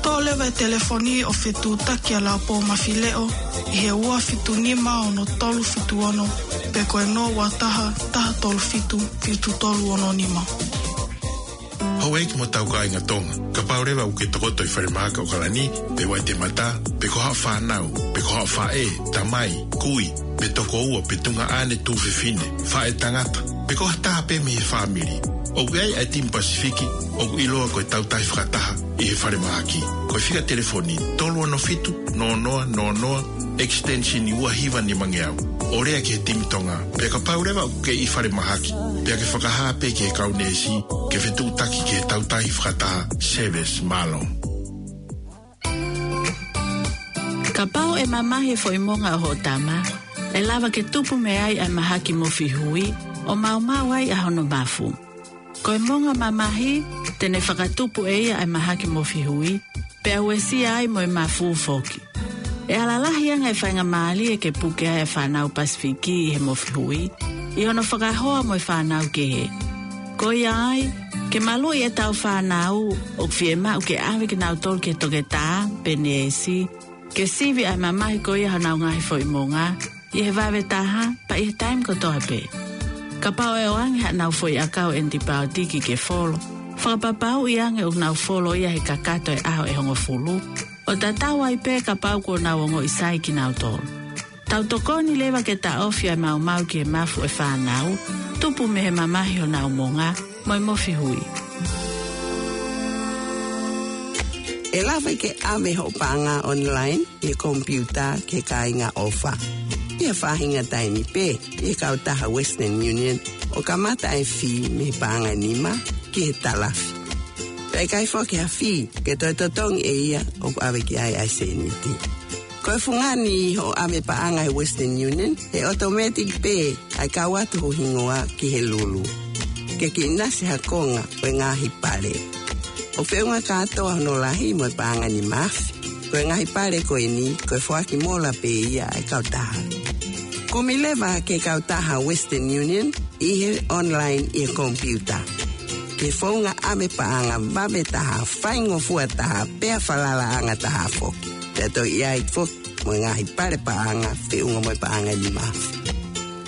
Toʻo leva e telefoni ʻo fetuʻutaki kia Laupō Mafileʻo ʻi he ua fitu nima ono tolu fitu ono, pe ko e noa ua taha, taha tolu fitu, fitu tolu ono nima. Houʻeiki mo tau kāinga Tonga, kapau leva ʻoku ke tokoto ʻi falemahaki ʻOkalani, pe Waitemata, pe ko haʻo fānau, pe ko haʻo faʻē, tamai, kui, pe tokoua, pe tuongaʻane tuofefine, faʻētangata, pe ko ha taha pē mei he fāmili, ʻoku ʻi ai ʻa e timi Pasifiki ʻoku ʻiloa ko e Tautahi Fakataha ʻi he falemahaki. Ko e fika telefoni tolu ono fitu, noa noa noa noa, extension ua hiva nimangeau. ʻO lea ki he timi Tonga, pea kapau leva ʻoku ke ʻi falemahaki, pea ke fakahā pē ki he kau neesi ke fetuʻutaki ki he Tautahi Fakataha Service. Mālō. Kapau ʻe mamahi e foʻi monga ʻo hoʻo tama, ʻe lava ke tupu mei ai ʻa e mahaki mofihui, ʻo maumau ai ʻa hono mafu. Ko e monga mamahi, te ne fakatupu ʻe ia ʻa e mahaki mofihui, pea uesia ai mo e mafu foki. ʻE ala lahi ange e faingamālie ke puke ai ʻa e fānau Pasifiki ʻi he mofihui, ʻi hono fakahoa mo e fānau kehe. Ko ia ai, ke maluʻi ʻetau fānau, ʻoku fiemaʻu ke ʻave kinautolu ki he toketā, pe neesi, ke sivi ʻa e mamahi ko ia honau ngaahi foʻi monga, ʻi he vave taha, pea ʻi he taimi kotoa pē. Kapau ʻe ʻoange haʻanau foʻi ʻakau ʻenipaotiki ke folo, fakapapauʻi ange ʻoku nau folo ia he kakato e ʻaho ʻe hongofulu, ʻo tatau ai pē kapau kuo nau ongoʻi sai kinautolu. Tau tokoni leva ke taʻofi ʻa e maumau ki he mafu ʻa e fānau, tupu mei he mamahi honau monga, mo e mofihui. ʻE lava ke ʻave hoʻo paʻanga online ʻi he komipiuta ki he kāinga ʻofa ʻi ha faʻahinga taimi pē ʻi he kautaha Western Union, ʻo kamata ʻa e fī mei he paʻanga ʻe nima ki he talafi. Pea ʻikai foki ha fī ke toe totongi ʻe ia ʻoku ʻave ki ai ʻa e sēniti. Ko e fungani hoʻo ʻave paʻanga he Western Union, ʻe automatic pē ʻa e kau atu ho hingoa ki he lulu. Ke ke ʻinasi ha konga ʻo e ngaahi pale. ʻOku feʻunga kātoa hono lahi mo e paʻanga ʻe nima afe. Ko e ngaahi pale ko eni, ko e foaki mola pē ia ʻa e kautaha. Kumi leva ki he kautaha Western Union ʻi he online ʻi he komipiuta. Ke founga ʻave paʻanga vave taha, faingofua taha, pea falalaʻanga taha foki. Pea toe ʻi ai foki mo e ngaahi pale paʻanga feʻunga mo e paʻanga ʻe nima afe.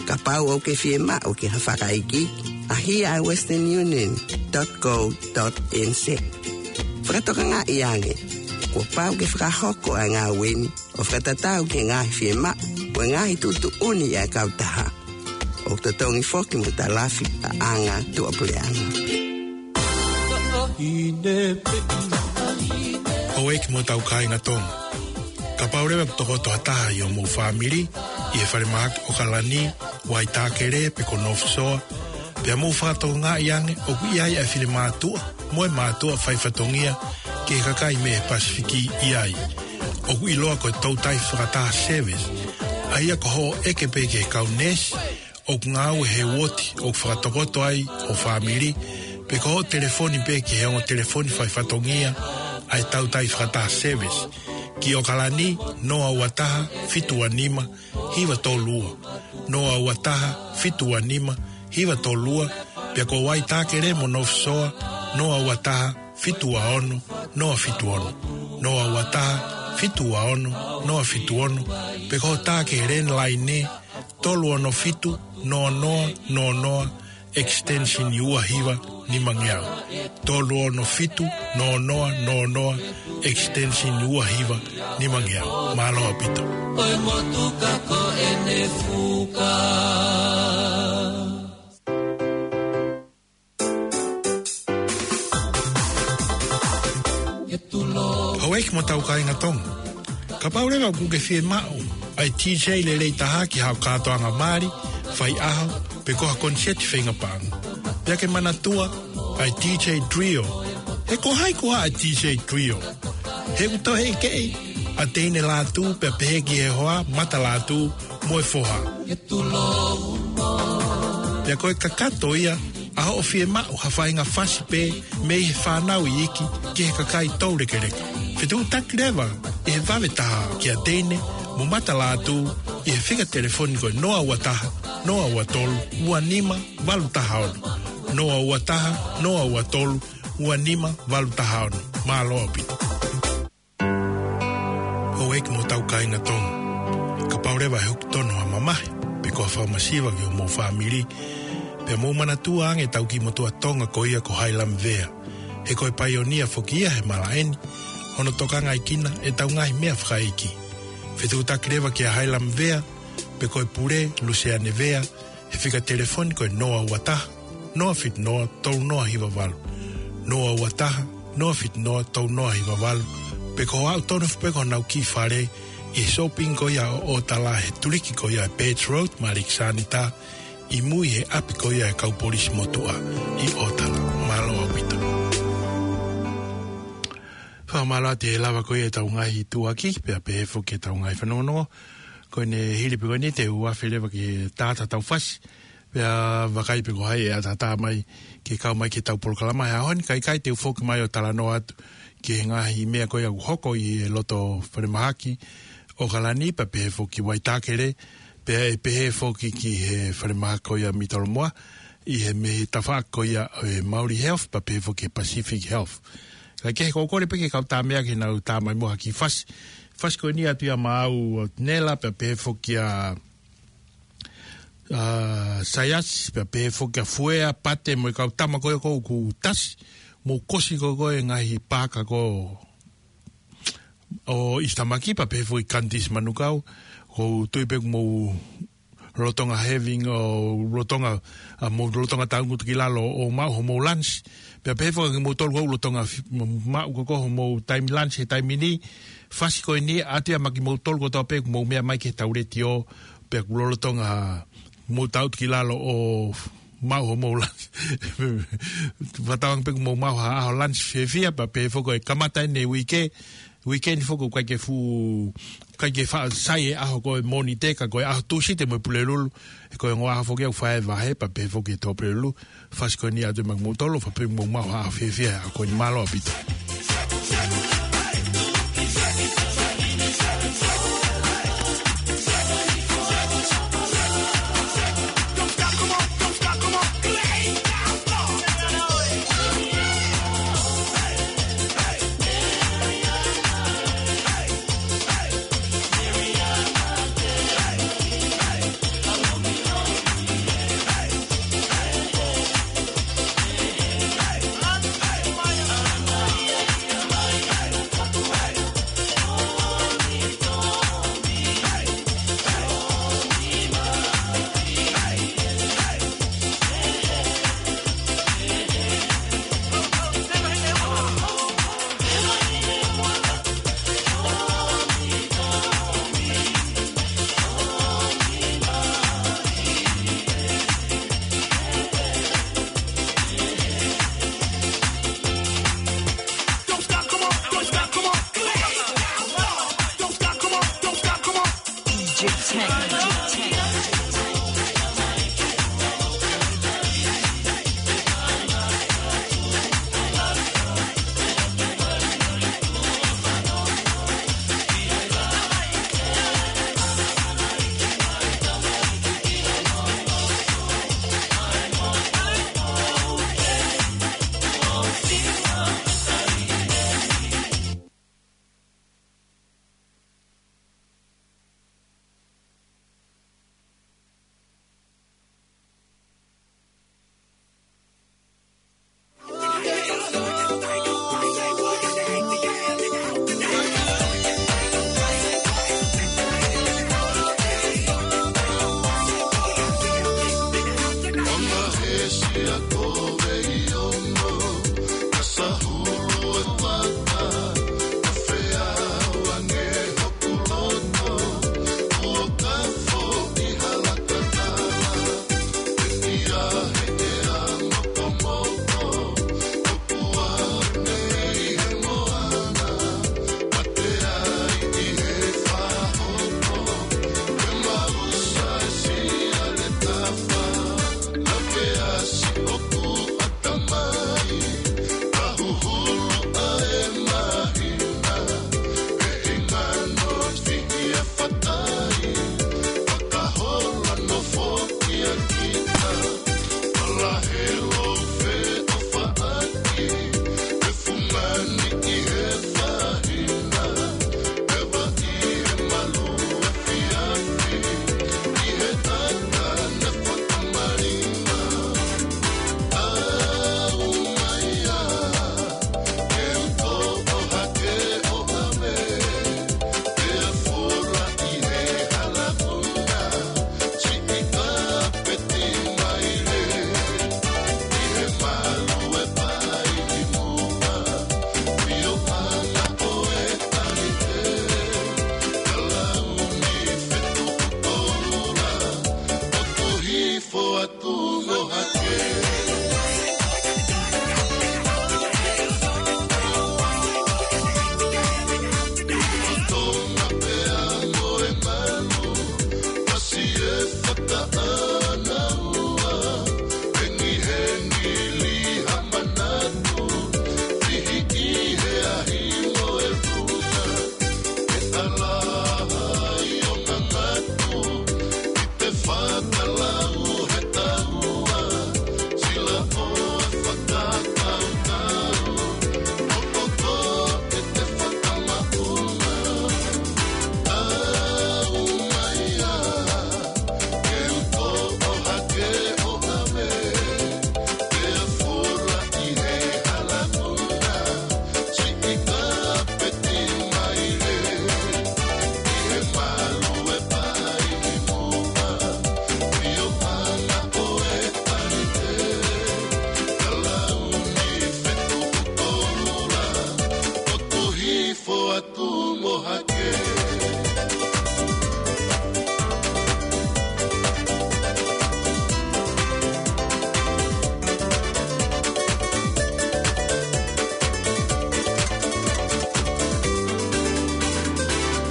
Kapau ʻoku ke fiemaʻu ke ha fakaikiiki, ʻaʻahi ʻa e western union dot co dot N Z. Fakatokangaʻi ange, kuo pau ke fakahoko ʻa e ngāue ni ʻo fakatatau ki he ngaahi fiemaʻu mo e ngaahi tuʻutuʻuni ʻa e kautaha. ʻOku totongi foki mo talafi ʻa e anga tuʻapuleʻanga. Houʻeiki mo tau kāinga Tonga. Kapau leva ʻoku tokoto ha taha ʻi homou fāmili ʻi he falemahaki ʻOkalani, Waitākele pe ko North Shore, pea mou fakatokangaʻi ange ʻoku ʻi ai ʻa e finemātuʻa mo e mātuʻa faifatongia ki he kakai mei he Pasifiki ʻi ai, ʻoku ʻiloa ko e Toutai Fakataha Service, ʻa ia ko hoʻo ʻeke pē ki he kau neesi ʻoku ngāue he uooti ʻoku fakatokoto ai ho fāmili, pe ko hoʻo telefoni pē ki he ongo telefoni faifatongia ʻa e Toutai Fakataha Service, ki ʻOkalani, noa ua taha, fitu ua nima, hiva tolu ua, noa ua taha, fitu ua nima, hiva tolu ua, pea ko Waitākele mo North Shore, noa ua taha, fitu ua ono, noa fitu ono, noa ua taha, fitu ua ono, noa fitu ono, pe ko hoʻo tā ki he landline, tolu ono fitu, noa noa noa noa, extension ua hiva nimangeau. Tolu ono fitu, noa noa noa noa, extension ua hiva nimangeau. Mālō ʻaupito. Ko e motuka ko ʻene fuka. Houʻeiki mo tau kāinga Tonga. Kapau leva ʻoku ke fiemaʻu ʻa e D J lelei taha ki haʻo kātoanga mali, faiʻaho, pe ko ha koniseti feinga paʻanga, pea ke manatua ʻa e D J Trio. He ko hai koā ʻa e D J Trio? He ʻoku toe ʻeke ʻa Teine Lātū pea pehē ki he hoa, Mata Lātū mo e foha. Pea ko e kakato ia ʻa hoʻo fiemaʻu ha faʻahinga fasi pē mei he fānau iiki ki he kakai toulekeleka. Fetuʻutaki leva ʻi he vave taha kia Teine mo Matalaʻatū ʻi he fika telefoni ko e noa ua taha, noa ua tolu, ua nima, valu taha ono. Noa ua taha, noa ua tolu, ua nima, valu taha ono. Mālō ʻaupito. Houʻeiki mo hotau kāinga Tonga. Kapau leva ʻe hoko tonu ha mamahi, pe ko ha fakamasiva ki homou fāmili, pea mou manatua ange ʻetau kiʻi motuʻa Tonga ko ia ko Hailam Vea. He ko e paionia foki ia he malaʻe ni, hono tokangaʻi ʻetau ngaahi meʻa fakaʻeiki. Fetuʻutaki leva kia Hailam Vea, pe ko e pule, Luseane Vea, he fika telefoni ko e noa ua taha, noa fitu noa, tolu noa hiva valu. Noa ua taha, noa fitu noa, tolu noa hiva valu. Pe ko e aʻu tonu foki pē ki honau kiʻi fale ʻi he shopping ko ia ʻo ʻOtala he tuliki ko ia ʻe Birch Road mo Alexander, ʻi mui he ʻapi ko ia ʻa e kau polisi motuʻa ʻi ʻOtala. Mālō ʻaupito. Fakamālō atu he lava ko ia ʻetau ngaahi tuʻuaki, pea pehē foki ʻetau ngaahi fanongonongo. Ko ʻene hili pē ko eni te u afe leva ki he taha ʻetau fasi. Pea vakai pē ko hai ʻe ʻatā mai ke kau mai ki heʻetau polokalama he ʻaho ni, kae ʻikai te u foki mai ʻo talanoa atu ki he ngaahi meʻa ko ia ʻoku hoko ʻi he loto falemahaki ʻo ʻOkalani, pea pehē foki Waitākere, pea ʻe pehē foki ki he falemahaki ko ia Mitolomoa, ʻi he mei he tafaʻaki ko ia ʻo e Maori Health, pea pehē foki he Pacific Health. Kae kehe, ko e kole pē ke kau tā meʻa ke nau tā mai mo ha kiʻi fasi. Fasi ko eni atu ia maʻau ʻo Nela, pea pehē foki ʻa, ʻa Saiasi, pea pehē foki ʻa Fuea, Pate mo e kau tama ko ia ʻoku tasi, mou kosi ko ē ngaahi paaka ko ē ʻo ʻIsitamaki, pea pehē foki Kanitisi Manukau, ʻoku ou tui pē ʻoku mou lolotonga having ʻo lolotonga, ʻa, mou lolotonga taungutu ki lalo ʻo maʻu homou lunch. Pea pehē foki kimoutolu ʻoku lolotonga fi-, maʻu ko ē homou taimi lunch he taimi ni. Fasi ko eni atu ia maʻa kimoutolu kotoa pē ʻoku mou meʻa mai ki heʻetau letiō, pea ʻoku lolotonga mou taungutu ki lalo ʻo maʻu homou lunch. Fakatauange pē ʻoku mou maʻu ha ʻaho lunch fiefia, pea pehē foki ʻe kamata eni e uike, uike ni foki ʻoku ʻikai ke fuʻu, ʻikai ke faʻa sai e ʻaho ko e Mōnite ka ko e ʻaho Tūsite mo e Pulelulu, he ko e ongo ʻaho foki ʻoku fai e vahe, pea pehē foki e Tō Pulelulu. Fasi ko eni atu ia maʻa kimoutolu, fakapapauʻi ʻoku mou maʻu ha ʻaho fiefia he ʻaho ko eni. Mālō ʻaupito. Atu mo hake.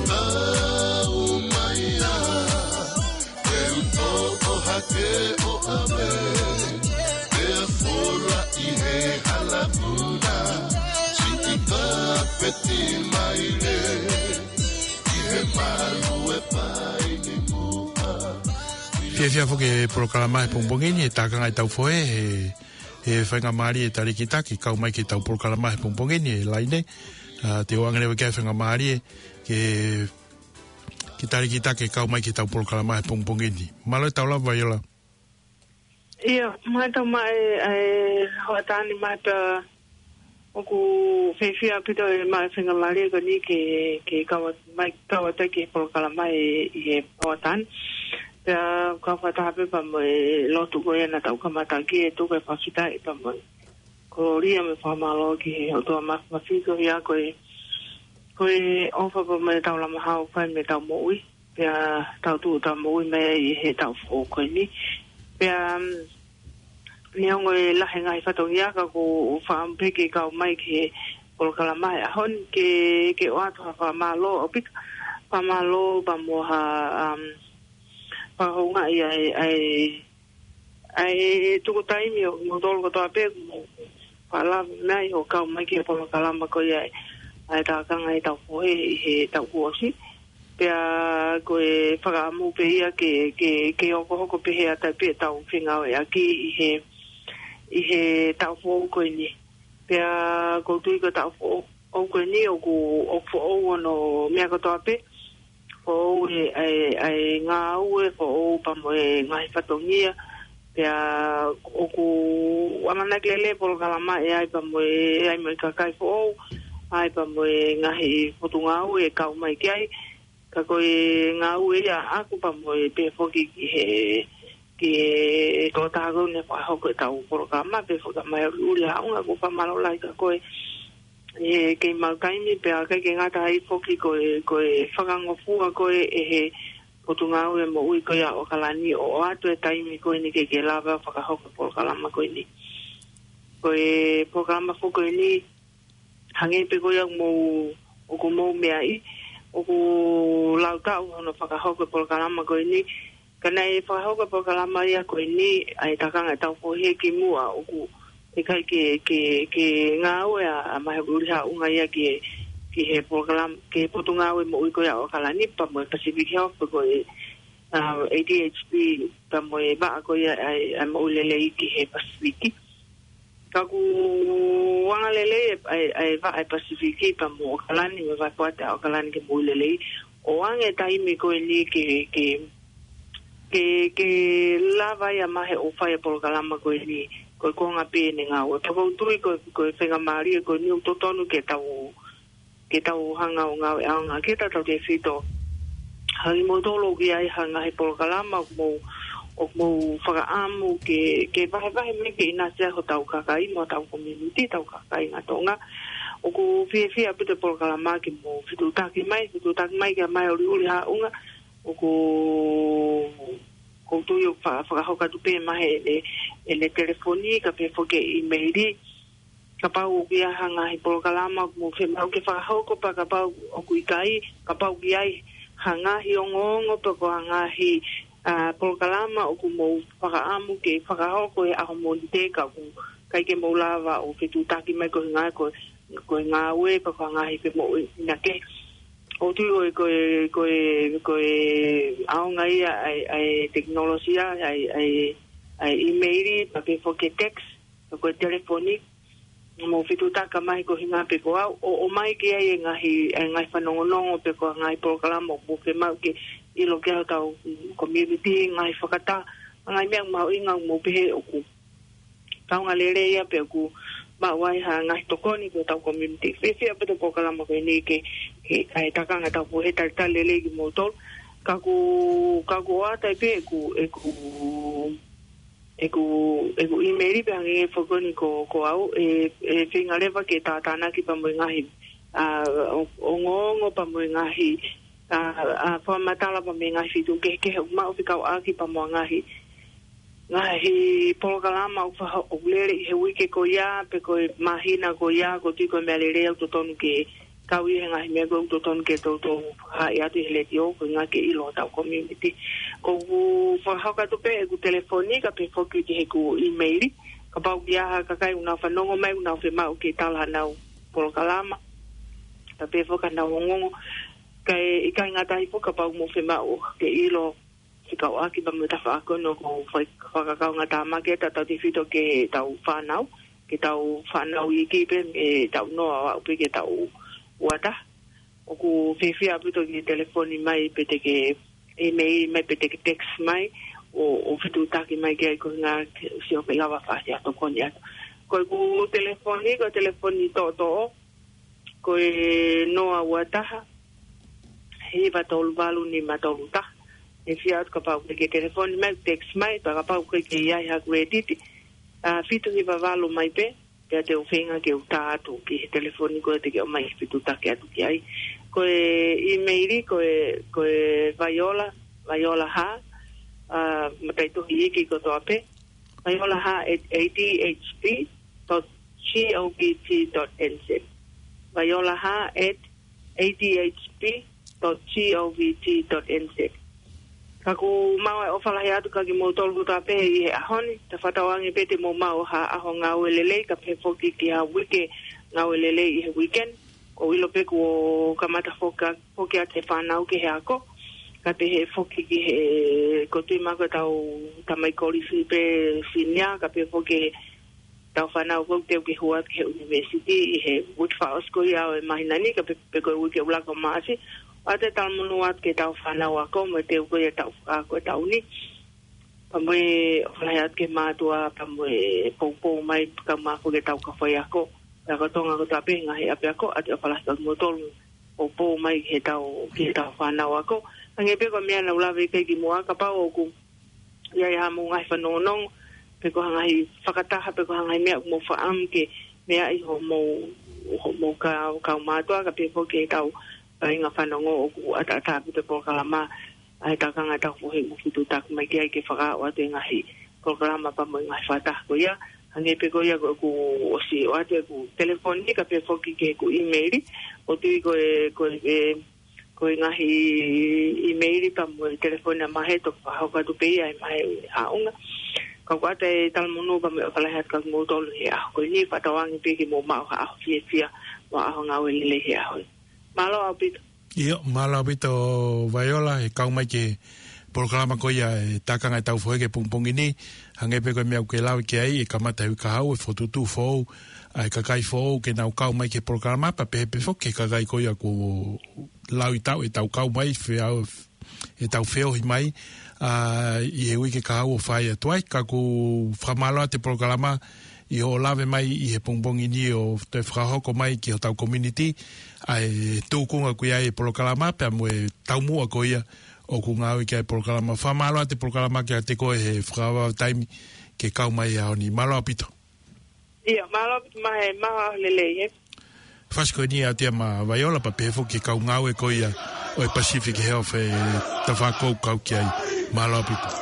Tau mai ā, te u toʻo hake ʻo ʻave, pea fola ʻi he hala puna, siʻi kapeti maile, ʻi he malu e paini muʻa. Fiefia foki e polokalama he pongipongi ni, e tākanga ʻetau fohe, he, he faingamālie e talēkita ke kau mai ki heʻetau polokalama he pongipongi ni, e Laine. ʻA, te u ʻoange leva ki ai e faingamālie ke, ke talēkita ke kau mai ki heʻetau polokalama he pongipongi ni. Mālō e tau lava, Vaiola. ʻIo, mālō e tau maʻu e, e hoʻatā ni, mālō pē ʻoku fiefia ʻaupito e maʻu e faingamālie ko eni ke, ke kau atu mai, kau atu ki he polokalama ʻi he hoʻatā ni. Pea kau fakataha pē pea mo e lotu ko ia naʻa tau kamata ki ai, tuku e fakafetaʻi pea mo e kolōlia mo e fakamālō ki he ʻOtua Māfimafi koeʻuhi ko e, ko e ʻofa pea mo e taulama hao ʻoku fai mei heʻetau moʻui. Pea tau tuʻu ʻo tau moʻui mai ʻi heʻetau foʻou ko eni. Pea, um, neongo e lahi e ngaahi fatongia ka ʻoku ou fakaʻamu pē ke kau mai ki he polokalama he ʻaho ni ke, ke ʻoatu ha fakamālō ʻaupito. Fakamālō pea mo ha, um, fakahoungaʻi ʻa e, ʻa e, ʻa e tuku taimi ʻo kimoutolu kotoa pē, mo fakalava mai hoʻo kau mai ki he polokalama ko ia ʻa e tākanga ʻetau fohe ʻi he taʻu kuo ʻosi. Pea ko e fakaʻamu pē ia ke, ke, ke hokohoko pē he ʻata pē ʻetau fengāueʻaki ʻi he, ʻi he taʻu foʻou ko eni. Pea ʻoku ou tui ko e taʻu foʻou, ʻoku eni ʻoku, ʻoku foʻou hono meʻa kotoa pē. Foʻou e, e, e ngāue, foʻou pea mo e ngaahi fatongia. Pea ʻoku ʻamanaki lelei e polokalama ʻe ʻai pea mo e, ʻai mo e kakai foʻou, ʻai pea mo e ngaahi potungāue ʻe kau mai ki ai. Ka ko e ngāue ia ʻaʻaku pea mo e pehē foki ki he, ki he tokotaha ko eni ʻe fakahoko ʻetau polokalama, pehē foki kia Maiuliuli Haʻunga, ʻoku ou fakamālō lahi kia koe he kei maʻu taimi, pea ʻikai ke ngata ai foki ko e, ko e fakangofua koe ʻe he Potungāue Moʻui ko ia ʻo ʻAokalani ʻo ʻoatu e taimi ko eni ke ke lava fakahoko e polokalama ko eni. Ko e polokalama foki ko eni, hangē pē ko ia ʻoku mou, ʻoku mou meaʻi, ʻoku lau taʻu hono fakahoko e polokalama ko eni. Ka naʻe fakahoko e polokalama ia ko eni, ʻa e tākanga ʻetau fohe ki muʻa, ʻoku ʻikai ke, ke, ke ngāue ʻa, ʻa Maiuliuli Haʻunga ia ki he, ki he polokalama, ki he Potungāue Moʻui ko ia ʻo ʻAokalani pea mo e Pasifiki Health, ko e, ʻa, A D H P pea mo e vaʻa ko ia ʻa e, ʻa e moʻui lelei ki he Pasifiki. Ka ʻoku anga lelei e, e, e vaʻa ʻa e Pasifiki pea mo ʻAokalani, mo e vahepoate ʻa ʻAokalani ki he moʻui lelei. ʻOange e taimi ko eni ke, ke, ke, ke lava ai ʻa Mahe ʻo fai e polokalama ko eni, ko e konga pē ʻene ngāue. Pea ʻoku ou tui ko, ko e faingamālie ko eni ʻoku totonu ke tau ke tau hanga ʻo ngāue ʻaonga ke tatau ke fito. Hangē kimoutolu ʻoku ʻi ai ha ngaahi polokalama ʻoku mou, ʻoku mou fakaʻamu ke, ke vahevahe mai ke ʻinasi ai hotau kakai mo hotau community, hotau kāinga Tonga. ʻOku fiefia ʻaupito e polokalama ke mou fetuʻutaki mai, fetuʻutaki mai kia Maiuliuli Haʻunga. ʻOku, ʻoku ou tui ʻoku fa-, fakahoko atu pē mei he, ʻene, ʻene telefoni, kae pehē foki e ʻīmeili. Kapau ʻoku ʻi ai ha ngaahi polokalama ʻoku mou fiemaʻu ke fakahoko pea kapau ʻoku ʻikai, kapau ʻoku ʻi ai ha ngaahi ongoongo pe ko ha ngaahi, ʻa, polokalama ʻoku mou fakaʻamu ke fakahoko he ʻaho Mōnite ka ʻoku ʻikai ke mou lava ʻo fetuʻutaki mai ko e ngā-, ko, ko e ngāue pe ko ha ngaahi femoʻuekina kehe. ʻOku ou tui ko e, ko e, ko e, ko e ʻaonga ia ʻa e, ʻa e tekinolosia, ʻa e, ʻa e, ʻa e ʻīmeili, pea pehē foki e text, pe ko e telefoni, mou fetuʻutaki mai ko e ʻuhinga pē ko au, ʻo, ʻomai ki ai e ngaahi, e ngaahi fanongonongo pe ko e ngaahi polokalama ʻoku mou fiemaʻu ke ʻilo ki ai hotau community, ngaahi fakataha, ngaahi meʻa mahuʻinga ʻoku mou pehē ʻoku kaunga lelei ia pe ʻoku maʻu ai ha ngaahi tokoni ki hotau community. Fiefia ʻaupito e polokalama ko eni ke, ke, ʻa e tākanga ʻetau fohe, talitali lelei kimoutolu. Ka ʻoku, ka ʻoku ʻoatu ai pē ʻeku, ʻeku, ʻeku, ʻeku ʻīmeili pea hangē foki ko eni ko, ko au, ʻe, ʻe feinga leva ke tātānaki pea mo e ngaahi ʻa, o, ongoongo pea mo e ngaahi, ʻa, ʻa, fakamatala pea mo e ngaahi feituʻu kehekehe ʻoku maʻu fekauʻaki pea mo e ngaahi, ngaahi polokalama ʻoku faho-, ʻoku lele ʻi he uike ko ia, pe ko e māhina ko ia, ʻoku ou tui ko e meʻa lelei ʻoku totonu ke kau ʻi he ngaahi meʻa ko ē ʻoku totonu ke toutou fakahaaʻi atu ʻi he letiō, ko e ʻuhinga ke ʻilo hotau community. ʻOku ou fakahoko atu pē ʻeku telefoni, kae pehē foki ki heʻeku email, kapau ʻoku ʻi ai ha kakai ʻoku nau fanongo mai, ʻoku nau fiemaʻu ke tala hanau polokalama, kae pehē foki hanau ongoongo, kae ʻikai ngata ai foki kapau ʻoku mou fiemaʻu ke ʻilo fekauʻaki pea mo e tafaʻaki ko eni ʻoku ou fai fakakaungātāmaki atu, tautautefito ki heʻetau fānau, ki heʻetau fānau iiki pē, ʻetau noa ʻo aʻu pē ki heʻetau uataha. ʻOku fiefia ʻaupito ke telefoni mai pe te ke email mai pe te ke text mai, ʻo, ʻo fetuʻutaki mai ki ai ko e ʻuhinga ke sio pe lava fasi ʻa e tokoni atu. Ko ʻeku telefoni, ko e telefoni toʻotoʻo, ko e noa ua taha, hiva tolu valu nima tolu taha. ʻE fiefia atu kapau ʻoku ke telefoni mai, text mai, pea kapau ʻoku ʻikai ke ʻi ai haʻaku ʻētiti, ʻa, fitu hiva valu mai pē, pea te u feinga ke u tā atu ki he telefoni ko ē te ke ʻomai fetuʻutaki atu ki ai. Ko e email, ko e, ko e Vaiola, Vaiola Hā, ʻa, mataʻitohi iiki kotoa pē, Vaiola Hā at A D H P dot G O V T dot N Z. Vaiola Hā at A D H P dot G O V T dot N Z. Ka ʻoku maʻu ʻa e ʻofa lahi atu kiate kimoutolu kotoa pē ʻi he ʻaho ni, tau fakatauange pē te mou maʻu ha ʻaho ngāue lelei, kae pehē foki ki ha uike ngāue lelei ʻi he weekend. ʻOku ou ʻilo pē kuo kamata foki, foki atu e fānau ki he ako, kae pehē foki ki he, ʻoku ou tui maʻu ko ʻetau tamai kolisi pe senior, kae pehē foki ki heʻetau fānau ʻoku teu ke hū atu ki he university ʻi he uike fakaʻosi ko ia ʻo e māhina ni, kae pehē, pe ko e uike ʻuluaki ʻo Maʻasi, ʻoatu e talamonū atu ki heʻetau fānau ako mo e teu ko ia ʻetau fakaako ʻetau ni. Pea mo e ʻofa lahi atu ki he mātuʻa, pea mo e poupou mai, kae ʻumaʻā foki ʻetau kau faiako, pea ko Tonga kotoa pē ngaahi ʻapiako, ʻoatu e ʻofa lahi atu kiate kimoutolu, poupou mai ki heʻetau, ki heʻetau fānau ako. Hangē pē ko e meʻa naʻa ku lave ki ai kimuʻa, kapau ʻoku ʻi ai haʻamou ngaahi fanongonongo, pe ko ha ngaahi fakataha, pe ko ha ngaahi meʻa ʻoku mou fakaʻamu ke meaʻi hoʻomou, hoʻomou kau, kau mātuʻa, kae pehē foki ki heʻetau kāinga fanongo, ʻoku ʻataʻatā ʻaupito e polokalama ʻa e Tākanga ʻo e Tauhi Fohe, mou fetuʻutaki mai ki ai ke fakaaʻu atu e ngaahi polokalama pea mo e ngaahi fakataha ko ia. Hangē pē ko ia ko ʻeku ʻosi ʻoatu ʻeku telefoni, kae pehē foki ki heʻeku email, ʻoku ou tui ko e, ko e, ko e ngaahi email pea mo e telefoni ʻa Mahe, toki fakahoko atu pē ia ʻe Mahe ʻi he ʻaonga. Ka ʻoku ʻoatu e talamonū pea mo e ʻofa lahi atu kiate kimoutolu he ʻaho ko eni, fakatauange pē ke mou maʻu ha ʻaho fiefia mo ha ʻaho ngāue lelei he ʻaho ni. Mālō ʻaupito. ʻIo, mālō ʻaupito Vaiola, he kau mai ki he polokalama ko ia ʻa e Tākanga ʻo e Tauhi Fohe ki he pongipongi ni, hangē pē ko e meʻa ʻoku ke lave ki ai, ʻe kamata he uike kahaʻu e fokotuʻutuʻu foʻou ʻa e kakai foʻou ke nau kau mai ki he polokalama, pea pehē pē foki ki he kakai ko ia kuo laui taʻu ʻetau kau mai, feau, ʻetau feohi mai, ʻa, ʻi he uike kahaʻu ʻo fai atu ai. Ka ʻoku ou fakamālō atu e polokalama ʻi hoʻo lave mai ʻi he pongipongi ni ʻo toe fakahoko mai ki hotau community ʻa e tūkunga ʻoku ʻi ai e polokalama pea mo e taumuʻa ko ia ʻoku ngāue ki ai e polokalama. Fakamālō atu e polokalama kiate koe he fakavavevave taimi ke kau mai he ʻaho ni. Mālō ʻaupito. ʻIo, mālō ʻaupito Mahe, maʻu ha ʻaho lelei, ē. Fasi ko eni ʻa Tia mo Vaiola pea pehē foki ki he kau ngāue ko ia ʻo e Pacific Health ʻe tafaʻaki ʻoku kau ki ai. Mālō ʻaupito.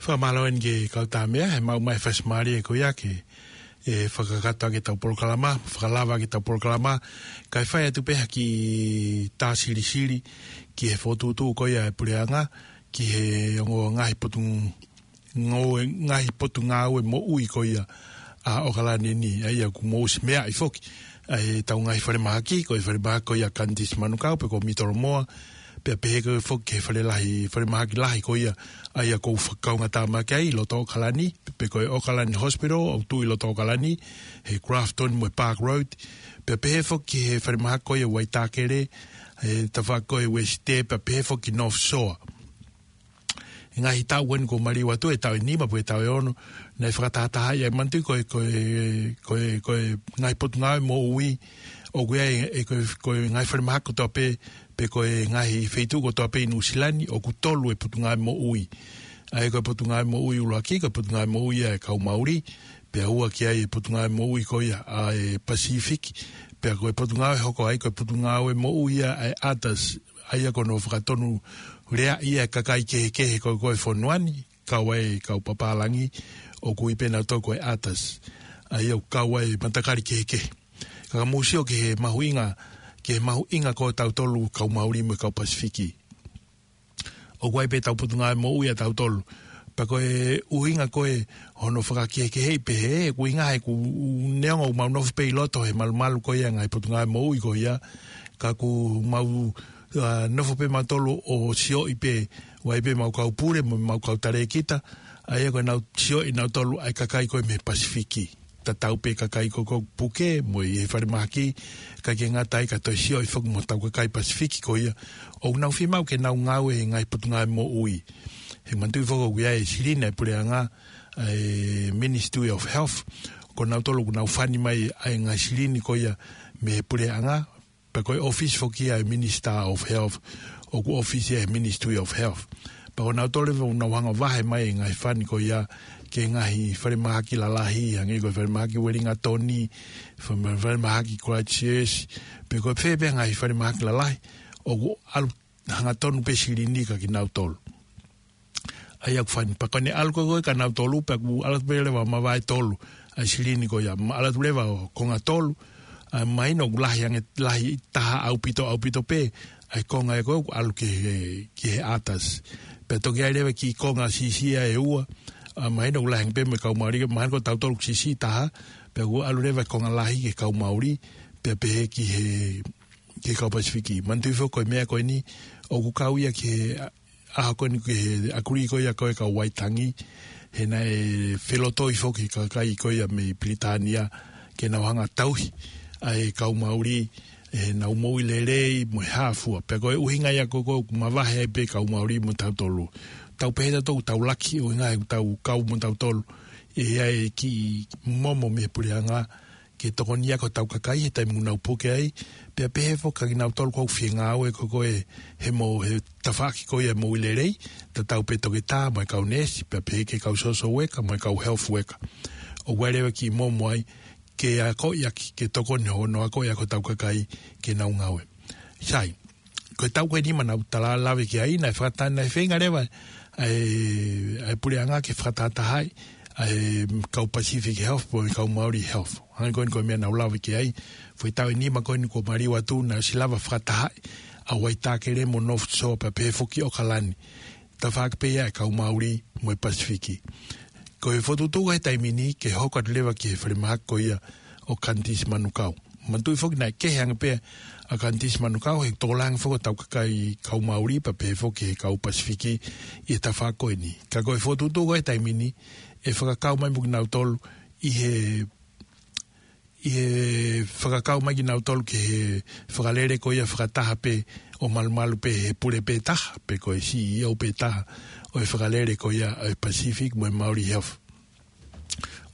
Fakamālō eni ki he kau Tāmea, he maʻu mai fasi mālie ko ia ke, ʻe fakakakato ʻaki ʻetau polokalama, fakalava ʻaki ʻetau polokalama, kae fai atu pē ha kiʻi tā silisili, ki he fokotuʻutuʻu ko ia ʻa e puleʻanga, ki he ongo ngaahi potu, ngāue, ngaahi potungāue moʻui ko ia ʻa ʻOkalani ni, ʻa ia ʻoku mou ʻosi meaʻi foki ʻa ʻetau ngaahi falemahaki, ko e falemahaki ko ia Kandisi Manukau, pe ko Mitolomoa, pea pehē ko e foki ki he fale lahi, falemahaki lahi ko ia, ʻa ia ʻoku ou fakakaungātāmaki ai, loto ʻOkalani, pe ko e ʻOkalani Hospital, ʻoku tuʻu ʻi loto ʻOkalani, he Grafton mo e Park Road, pea pehē foki ki he falemahaki ko ia Waitakere, he tafaʻaki ko ia Wesite, pea pehē foki ki North Shore. He ngaahi taʻu eni kuo maliu atu, he taʻu ʻe nima pe ko e taʻu ʻe ono, naʻe fakatahatahaʻi ʻa e manatu ko e, ko e, ko e, ko e ngaahi potungāue moʻui, ʻoku ʻi ai ʻe, ko e, ko e ngaahi falemahaki kotoa pē, pe ko e ngaahi feituʻu kotoa pē ʻi Nuʻusila ni, ʻoku tolu e potungāue moʻui. ʻA ia ko e potungāue moʻui ʻuluaki, ko e potungāue moʻui ʻa e kau Maori, pea ua ki ai e potungāue moʻui ko ia ʻa e Pasifiki, Pea ko e potungāue hoko ai, ko e potungāue moʻui ia ʻa e ATARS, ʻa ia ko hono fakatonuleaʻi ʻa e kakai kehekehe ko ē ʻo e fonua ni, kau ai e kau papālangi, ʻoku ui pē nautolu ko e ATARS, ʻa ia ʻoku kau ai e matakali kehekehe. Ka mou sio ki he mahuʻinga, ki he mahuʻinga ko ē ʻo tautolu kau Mauli mo e kau Pasifiki. ʻOku ʻi ai pē ʻetau potungāue moʻui ʻa tautolu. Pea ko e ʻuhinga ko ē hono fakakehekeheʻi pehē, ko e ʻuhinga he ʻoku neongo ʻoku mau nofo pē ʻi loto he malumalu ko ia ʻa e ngaahi potungāue moʻui ko ia, ka ʻoku mau, ʻa, nofo pē mautolu ʻo sioʻi pē, ʻoku ʻi ai pē ʻemau kau pule mo ʻemau kau talēkita, ʻa ia ko ʻenau sioʻi nautolu ʻa e kakai ko ē mei he Pasifiki. Tatau pē kakai ko ē ʻoku puke mo ʻi he falemahaki, kae ʻikai ke ngata ai ka toe sioʻi foki mo hotau kakai Pasifiki ko ia ʻoku nau fiemaʻu ke nau ngāue he ngaahi potungāue moʻui. He manatuʻi foki ʻoku ʻi ai e silini ʻa e puleʻanga, ʻa e Ministry of Health, ko nautolu ʻoku nau fani mai ʻa e ngaahi silini ko ia mei he puleʻanga, pea ko e ʻōfisi foki ia ʻa e Minister of Health, ʻoku ʻōfisi ia he Ministry of Health. Pea ko nautolu leva ʻoku nau hanga ʻo vahe mai e ngaahi fani ko ia ki he ngaahi falemahaki lalahi, hangē ko e falemahaki Wellington, fale-, falemahaki Christchurch, pe ko fē pē ngaahi falemahaki lalahi, ʻoku ʻalu hangatonu pē silini kia kinautolu. ʻA ia ʻoku fani, pea ko ʻene ʻalu ko ē kia nautolu, pea ʻoku ʻalu pē leva ʻo mavahe tolu ʻa e silini ko ia, ma-, ʻalu atu leva ʻo konga tolu, ʻa, mahino ʻoku lahi ange, lahi taha ʻaupito, ʻaupito pē ʻa e konga ē ko ē ʻoku ʻalu ki he, ki he ATARS. Pea toki ʻi ai leva e kiʻi konga siʻisiʻi ʻe ua, ʻa, mahino ʻoku lahi ange pē mo e kau Mauli, mahino ko tautolu ʻoku siʻisiʻi taha, pea ʻoku ʻalu leva e konga lahi ki he kau Mauli, pea pehē ki he, ki he kau Pasifiki. Manatuʻi foki ko e meʻa ko eni, ʻoku kau ia ki he, ʻa, ʻaho ko eni ki he ʻakuli ko ia ko ē kau Waitangi, he naʻe felotoi foki e kakai ko ia mei Pilitānia, ke nau hanga ʻo tauhi ʻa e kau Mauli, ʻenau moʻui lelei mo e hā fua. Pea ko e ʻuhinga ia ko ē ʻoku mavahe ai pē kau Mauli mo tautolu. Tau pehē tautolu ʻoku tau laki, ʻuhinga he ʻoku tau kau mo tautolu, ʻi ai e kiʻi momo mei he puleʻanga, ke tokoniʻi ʻaki hotau kakai he taimi ʻoku nau puke ai, pea pehē foki kia kinautolu ʻoku fie ngāue ko ē he mo-, he tafaʻaki ko ia moʻui lelei, tatau pē toketā mo e kau neesi, pea pehē ki he kau social worker mo e kau health worker. ʻOku ʻi ai leva e kiʻi momo ai, ke akoʻi ʻaki, ke tokoni hono akoʻi ʻaki hotau kakai ke nau ngāue. Sai, ko e taʻu ko eni ʻoku mau tala lave ki ai, naʻe fakatahatahaʻi, naʻe feinga leva ʻa e, ʻa e puleʻanga ke fakatahatahaʻi ʻa e kau Pacific Health mo e kau Mauli Health. Hangē ko eni ko e meʻa naʻa ku lave ki ai, foʻi taʻu ʻe nima ko eni kuo maliu atu naʻe ʻosi lava fakatahaʻi ʻa Waitakere mo North Shore pea pehē foki ʻAokalani. Tafaʻaki pē ia ʻa e kau Mauli mo e Pasifiki. Ko e fokotuʻutuʻu he taimi ni ke hoko atu leva ki he falemahaki ko ia ʻo Kanitisi Manukau. Manatuʻi foki naʻe kehe ange pē ʻa Kanitisi Manukau he tokolahi ange foki hotau kakai kau Mauli pea pehē foki he kau Pasifiki ʻi he tafaʻaki ko eni. Ka ko e fokotuʻutuʻu he taimi ni ʻe fakakau mai mo kinautolu ʻi he, ʻi he fakakau mai kinautolu ki he fakalele ko ia fakataha pē ʻo malumalu pē he pule pē taha, pe ko e CEO pē taha ʻo e fakalele ko ia ʻo e Pacific mo e Mauli Health.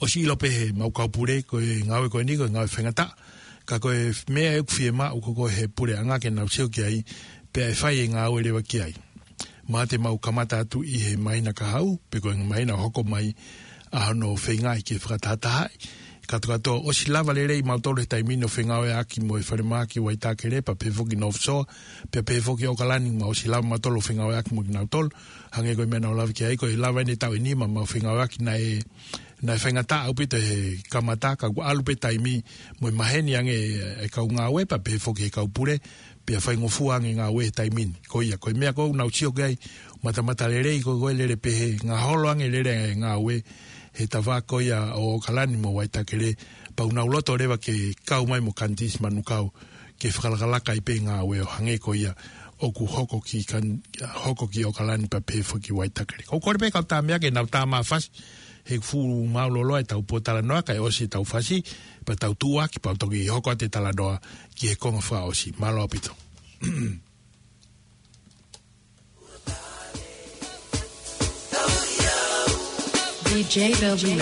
ʻOsi ʻilo pē heʻemau kau pule ko e ngāue ko eni ko e ngāue faingataʻa. Ka ko e meʻa ʻoku fiemaʻu ko ē he puleʻanga ke nau sio ki ai, pea ʻe fai e ngāue leva ki ai. Mahalo te mau kamata atu ʻi he māhina kahaʻu, pe ko e māhina hoko mai ʻa hono feingaʻi ke fakatahatahaʻi. Kātoa kātoa, ʻosi lava lelei mautolu he taimi ni ʻo fengāueʻaki mo e falemahaki Waitakere pea pehē foki North Shore, pea pehē foki ʻAokalani, mau ʻosi lava mautolu ʻo fengāueʻaki mo kinautolu. Hangē ko e meʻa naʻa ku lave ki ai, ko e lava eni e taʻu ʻe nima ʻoku mau fengāueʻaki, naʻe, naʻe faingataʻa ʻaupito he kamata, ka kuo ʻalu pē taimi mo e maheni ange e kau ngāue pea pehē foki he kau pule, pea faingofua ange e ngāue he taimi ni. Ko ia, ko e meʻa ko ē ʻoku nau sio ki ai, matamata lelei ko ē, ko e lele pehē, ngaholo ange e lele e ngāue he tafaʻaki ko ia ʻo ʻAokalani mo Waitakere, pea ʻoku nau loto leva ke kau mai mo Kanitisi Manukau, ke fakalakalaka ai pē e ngāue ʻo hangē ko ia ʻoku hoko ki Kan-, hoko ki ʻAokalani pea pehē foki Waitakere. Ko e kole pē kau tā meʻa ke nau tā mafasi, he ʻoku fuʻu mālōlō ʻetau pōtalanoa, kae ʻosi ʻetau fasi, pea tau tuʻuaki, pea toki hoko atu e talanoa ki he konga fakaʻosi. Mālō ʻaupito. D J Belvin.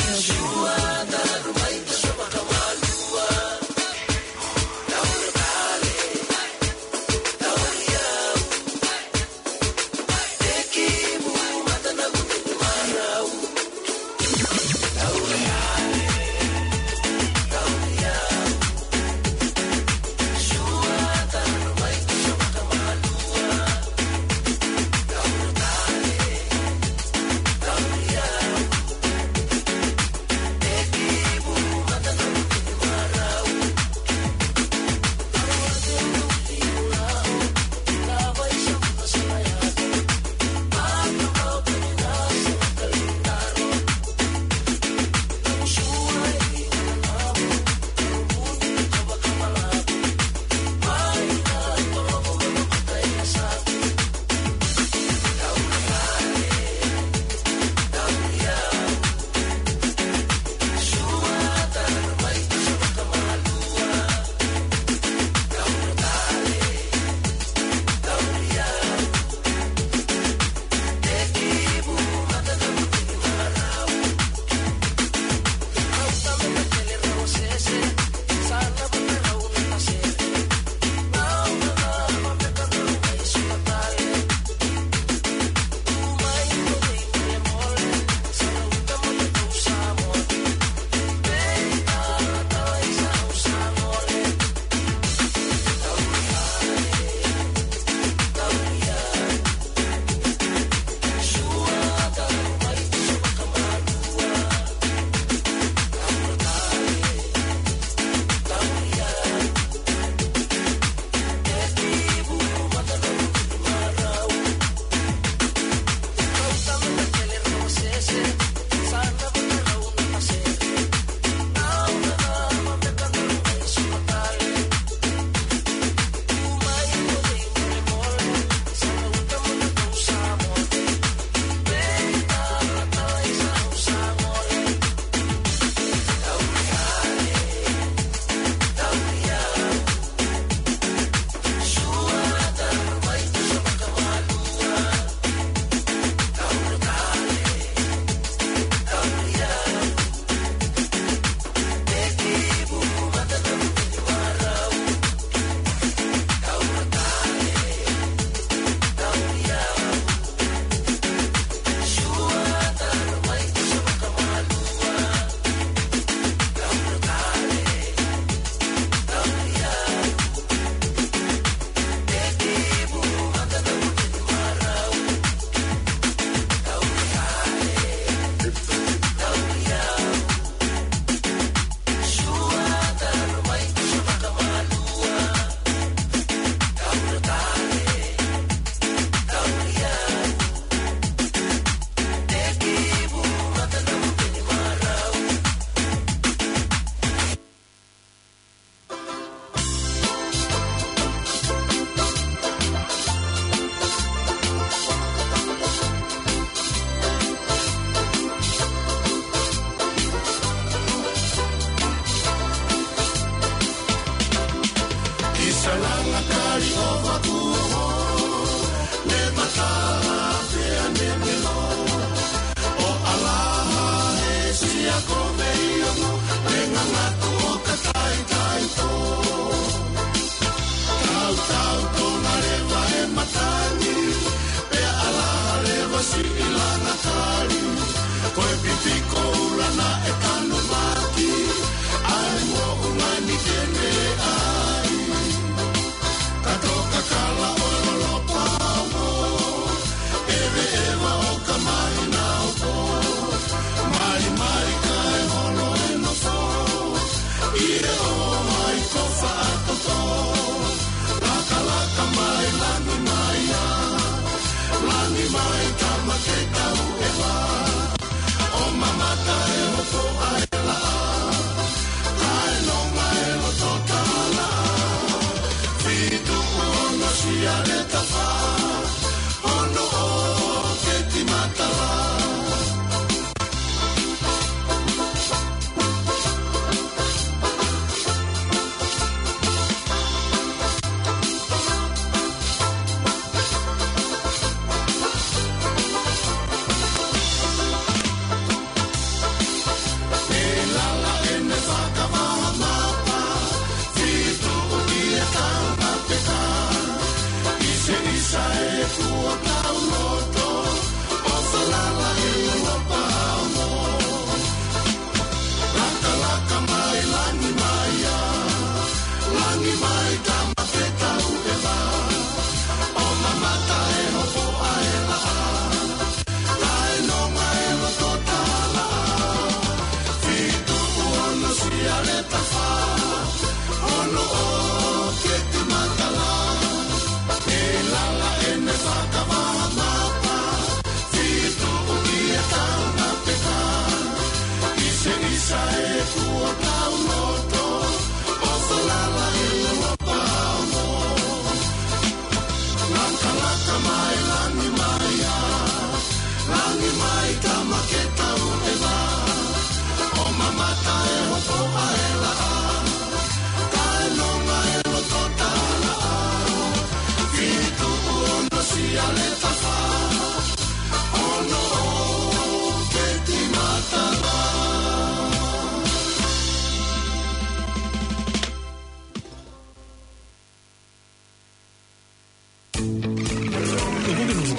ʻOku ke nofo,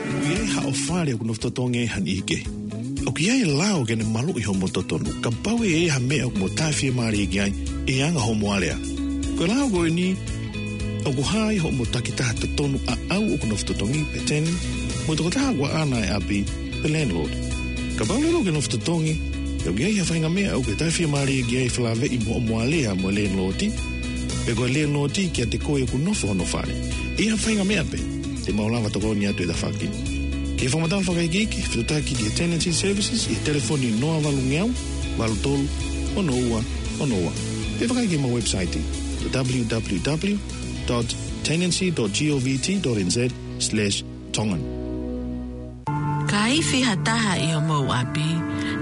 ʻoku ʻi ai haʻo fale ʻoku nofo totongi ai ha niʻihi kehe? ʻOku ʻi ai e lao ke ne maluʻi hoʻomo totonu kapau ʻe ʻi ai ha meʻa ʻoku mo tāfiemālie ki ai ʻi he anga hoʻomo alea. Ko e lao ko eni ʻoku hā ai hoʻomo takitaha totonu ʻaʻau ʻoku nofo totongi pe tenant, mo e tokotaha ʻoku ʻaʻana e ʻapi pe landlord. Kapau leva ʻoku ke nofo totongi, ʻoku ʻi ai ha faʻahinga meʻa ʻoku ke tāfiemālie ki ai, felāveʻi mo hoʻomo alea mo e landlord, pe ko e landlord kiate koe ʻoku nofo hono fale. ʻI ha faʻahinga meʻa pē, te mau lava tokoni atu he tafaʻaki ni. Ke fakamatala fakaikiiki, fetuʻutaki ki he Tenancy Services ʻi he telefoni noa valungeau, valu tolu, ono ua, ono ua. Pe vakai ki heʻemau website, www dot tenancy dot govt dot nz slash Tongan. Ka ifi ha taha ʻi homou ʻapi,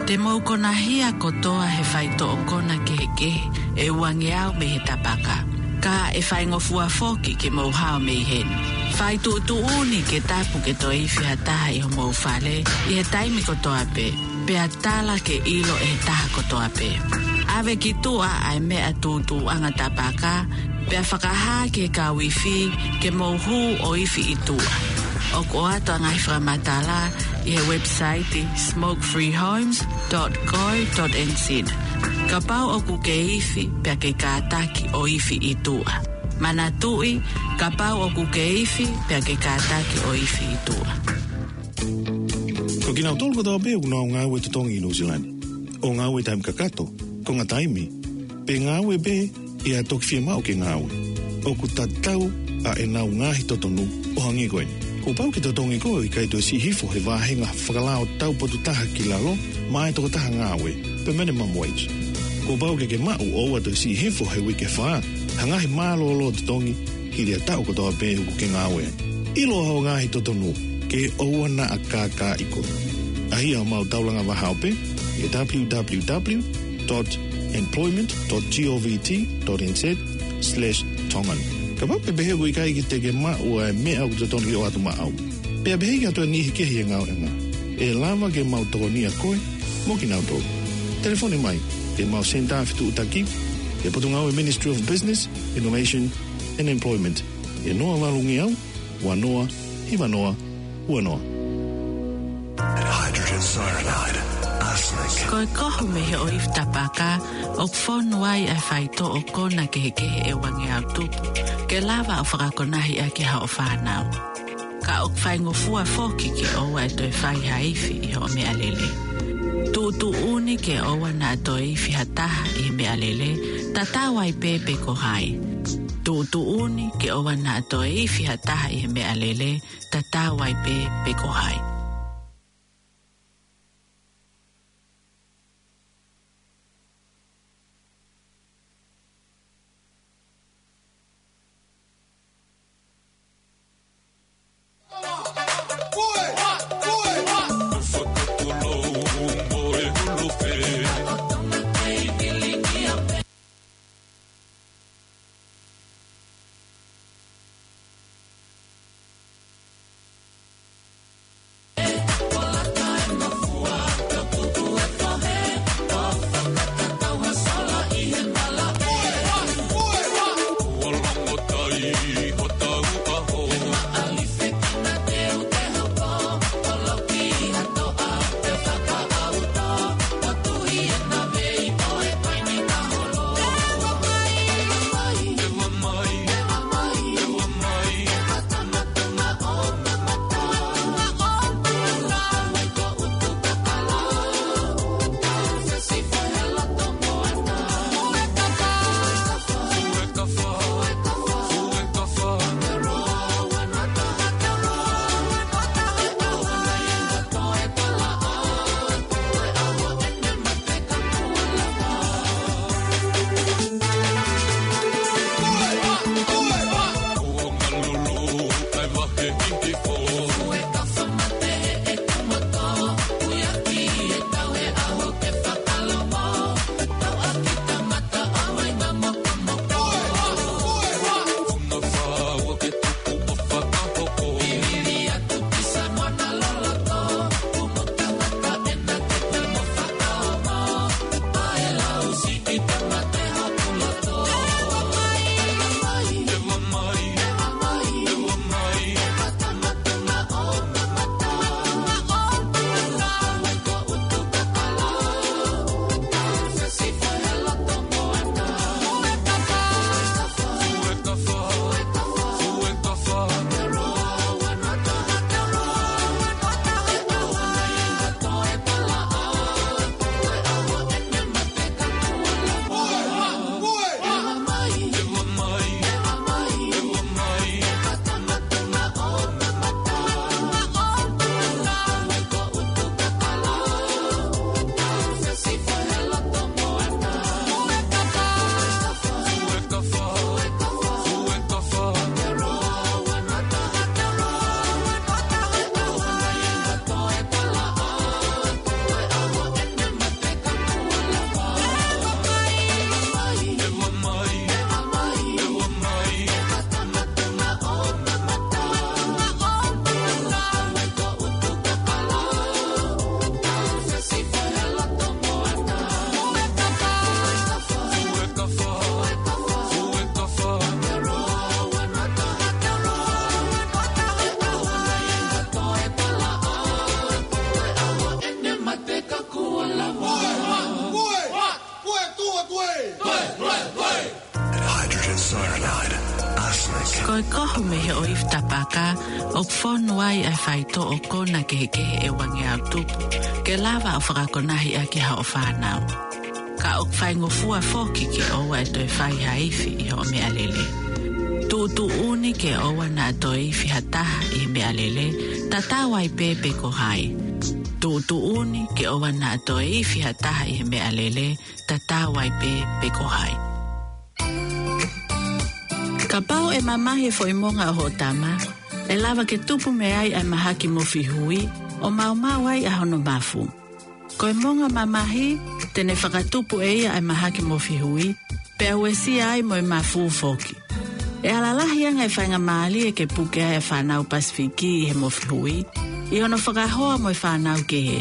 te mou konahia kotoa he faitoʻo kona kehekehe ʻe uangeau mei he tapaka. Ka ʻe faingofua foki ke mou hao mei heni. Fai tuʻutuʻuni ke tapu ke toe ifi ha taha ʻi homou fale ʻi he taimi kotoa pē, pea tala ke ʻilo ʻe he taha kotoa pē. ʻAve ki tuʻa ʻa e meʻa tūtūʻanga tapaka, pea fakahā ki he kau ifi ke mou hū ʻo ifi ʻi tuʻa. ʻOku ʻoatu ʻa e ngaahi fakamatala ʻi he website smoke free homes dot co dot nz. Kapau ʻoku ke ifi pea ke kātaki ʻo ifi ʻi tuʻa. Manatuʻi, kapau ʻoku ke ifi pea ke kātaki ʻo ifi ʻi tuʻa. Ko kinautolu kotoa pē ʻoku nau ngāue totongi ʻi Nuʻu Sila ni, ʻo ngāue taimi kakato, konga taimi, pe ngāue pē ʻi ha toki fiemaʻu ke ngāue, ʻoku tatau ʻa ʻenau ngaahi totonu ʻo hangē ko eni. Kuo pau ke totongi koe ʻo ʻikai toe siʻi hifo he vāhenga fakalao tau potu taha ki lalo maʻa e tokotaha ngāue, pe minimum wage. Kuo pau ke ke maʻu ʻo ʻoua toe siʻi hifo he uike fā ha ngaahi mālōlō totongi hili ha taʻu kotoa pē ʻoku ke ngāue ai. ʻIlo hoʻo ngaahi totonu ke ʻoua naʻa kākaaʻi koe. ʻAʻahi ʻemau taulanga vahaope ʻi he www dot employment dot govt dot nz slash Tongan. Kapau ʻoku ke pehē ʻoku ʻikai ke te ke maʻu ʻa e meʻa ʻoku totonu ke ʻoatu maʻau, pea pehē ki ha toe niʻihi kehe ʻi he ngāueʻanga, ʻe lava ke mau tokonia koe mo kinautolu. Telefoni mai ki heʻemau senitā fetuʻutaki, ʻi he Potungāue Ministry of Business, Innovation and Employment, ʻi he noa valungeau, ua noa, hiva noa, ua noa. Hydrogen cyanide, arsenic. Ko e kohu mei he ʻoifi tapaka ʻoku fonu ai ʻa e faitoʻo kona kehekehe ʻe uangeau tupu ke lava ʻo fakakonahi ʻaki haʻo fānau. Ka ʻoku faingofua foki ke ʻoua ʻe toe fai ha ifi ʻi hoʻo meʻalele. Tuʻutuʻuni ke ʻoua naʻa toe ifi ha taha ʻi he meʻalele, tatau ai pē pe ko hai. Tuʻutuʻuni ke ʻoua naʻa toe ifi ha taha ʻi he meʻalele, tatau ai pē pe ko hai. Ko e kohu mei he ʻoifi tapaka, ʻoku fonu ai ʻa e faitoʻo kona kehekehe ʻe uangeau tupu, ke lava ʻo fakakonahi ʻaki haʻo fānau. Ka ʻoku faingofua foki ke ʻoua ʻe toe fai ha ifi ʻi hoʻo meʻalele. Tuʻutuʻuni ke ʻoua naʻa toe ifi ha taha ʻi he meʻalele, tatau ai pē pe ko hai. Tuʻutuʻuni ke ʻoua naʻa toe ifi ha taha ʻi he meʻalele, tatau ai pē pe ko hai. Kapau ʻe mamahi e foʻi monga ʻo hoʻo tama, ʻe lava ke tupu mei ai ʻa e mahaki mofihui, ʻo maumau ai ʻa hono mafu. Ko e monga mamahi, te ne fakatupu ʻe ia ʻa e mahaki mofihui, pea uesia ai mo e mafu foki. ʻE ala lahi ange e faingamālie ke puke ai ʻa e fānau Pasifiki ʻi he mofihui, ʻi hono fakahoa mo e fānau kehe.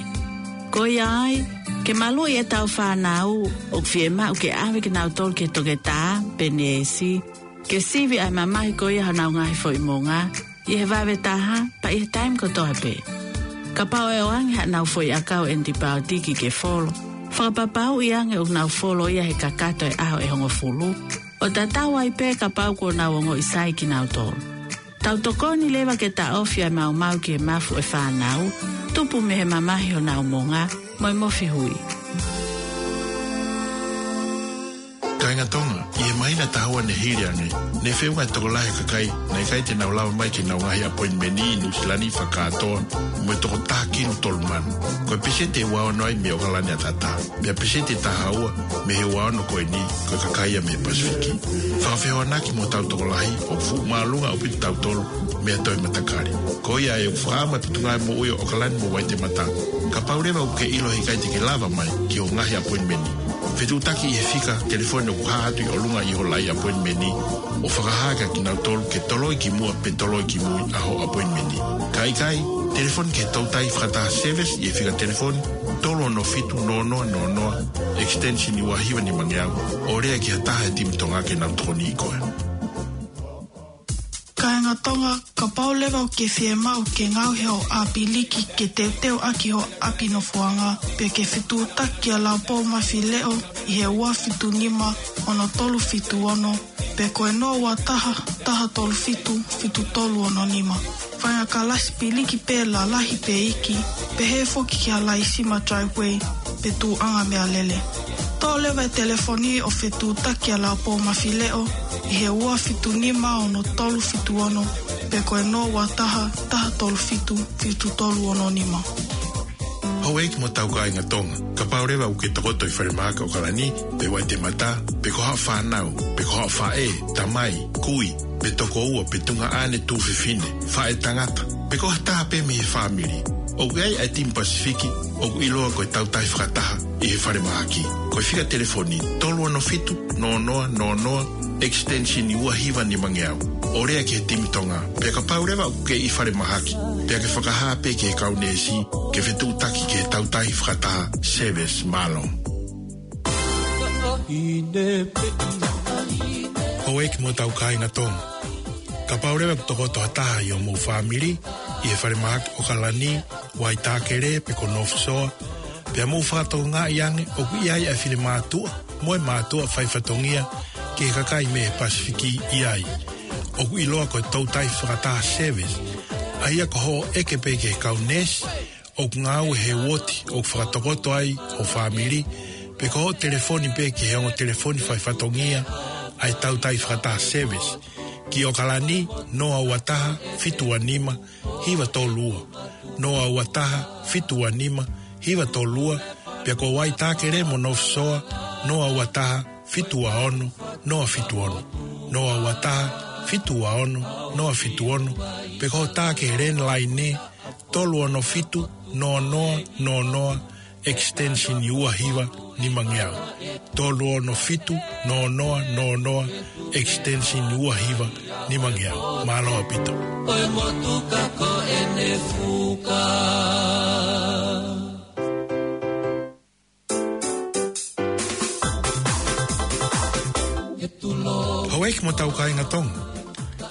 Ko ia ai, ke maluʻi ʻetau fānau, ʻoku fiemaʻu ke ʻave kinautolu ki he toketā, pe neesi, ke sivi ʻa e mamahi ko ia honau ngaahi foʻi monga, ʻi he vave taha, pea ʻi he taimi kotoa pē. Kapau ʻe ʻoange haʻanau foʻi ʻakau ʻenipaotiki ke folo, fakapapauʻi ange ʻoku nau folo ia he kakato e ʻaho ʻe hongofulu, ʻo tatau ai pē kapau kuo nau ongoʻi sai kinautolu. Tau tokoni leva ke taʻofi ʻa e maumau ki he mafu ʻo e fānau, tupu mei he mamahi honau monga, mo e mofihui. Kāinga Tonga, ʻi he māhina ʻe taha ua ne hili ange, ne feʻunga e tokolahi e kakai naʻe ʻikai te nau lava mai ki heʻenau ngaahi ʻapoinimeni ʻi Nuʻusila ni fakakātoa, mo e toko taha kinu tolu mano. Ko e peseti ʻe ua ono ai mei ʻOkalani ʻAtatā, pea peseti ʻe taha ua mei he ua ono ko eni, ko e kakai ia mei he Pasifiki. Fakafehoanaki mo hotau tokolahi, ʻoku fuʻu māʻolunga ʻaupito kitautolu mei ha toe matakali. Ko ia ai ʻoku fakaʻamu e Potungāue Moʻui ʻo ʻOkalani mo Waitemata, kapau leva ʻoku ke ʻilo he ʻikai te ke lava mai ki hoʻo ngaahi ʻapoinimeni, fetuʻutaki ʻi he fika telefoni ʻoku hā atu ʻi ʻolunga ʻi ho laʻi ʻapoinimeni, ʻo fakahā kia kinautolu ke toloi ki muʻa pe toloi ki mui ʻa hoʻo ʻapoinimeni. Ka ʻikai, telefoni ki he toutai fakataha service ʻi he fika telefoni tolu ono fitu noa noa noa noa, extension ua hiva nimangeau, ʻo lea ki ha taha he timi Tonga ke nau tokoniʻi koe. Kāinga Tonga, kapau leva ʻoku ke fiemaʻu ke ngaohi hoʻo ʻāpiliki ke teuteu ʻaki hoʻo ʻapi nofoʻanga, pe ke fetuʻutaki kia Laupou Mafileʻo ʻi he ua fitu nima ono tolu fitu ono, pe ko e noa ua taha, taha tolu fitu, fitu tolu ono nima. Fai ha kalasi piliki pē lalahi pe iiki, pehē foki ki ha laisima driveway, pe tuʻuʻanga meʻalele. Toʻo leva e telefoni ʻo fetuʻutaki kia Laupou Mafileʻo ʻi he ua fitu nima ono tolu fitu ono, pe ko e noa ua taha, taha tolu fitu, fitu tolu ono nima. Houʻeiki mo hotau kāinga Tonga, kapau leva ʻoku ke tokoto ʻi falemahaki ʻOkalani, pe Waitemata, pe ko haʻo fānau, pe ko haʻo faʻē, tamai, kui, pe tokoua, pe tuongaʻane, tuofefine, faʻētangata, pe ko ha taha pē mei he fāmili, ʻoku ʻi ai ʻa e timi Pasifiki ʻoku ʻiloa ko e Tautahi Fakataha ʻi he falemahaki. Ko e fika telefoni tolu ono fitu noa noa noa noa, extension ua hiva nimangeau, ʻo lea ki he timi Tonga. Pea kapau leva ʻoku ke ʻi falemahaki, pea ke fakahā pē ki he kau neesi ke fetuʻutaki ki he Tautahi Fakataha service. Mālō. Houʻeiki mo hotau kāinga Tonga, kapau leva ʻoku tokoto ha taha ʻi hoʻomou fāmili ʻi he falemahaki ʻOkalani, Waitākele pe ko North Shore, pea mou fakatokangaʻi ange ʻoku ʻi ai ʻa e finemātuʻa mo e mātuʻa faifatongia ki he kakai mei he Pasifiki ʻi ai, ʻoku ʻiloa ko e Tautahi Fakataha service, ʻa ia ko hoʻo ʻeke pē ki he kau neesi ʻoku ngāue he uooti ʻoku fakatokoto ai ho fāmili, pe ko hoʻo telefoni pē ki he ongo telefoni faifatongia ʻa e Tautahi Fakataha service, ki ʻOkalani, noa ua taha, fitu ua nima, hiva tolu ua, noa ua taha, fitu ua nima, hiva tolu ua, pea ko Waitākele mo North Shore, noa ua taha, fitu ua ono, noa fitu ono, noa ua taha, fitu ua ono, noa fitu ono, pe ko hoʻo tā ki he landline, tolu ono fitu noa noa noa noa, extension ua hiva nimangeau. Tolu ono fitu noa noa noa noa, extension ua hiva nimangeau. Mālō ʻaupito. Ko e motuka ko ʻene fuka. Houʻeiki mo hotau kāinga Tonga,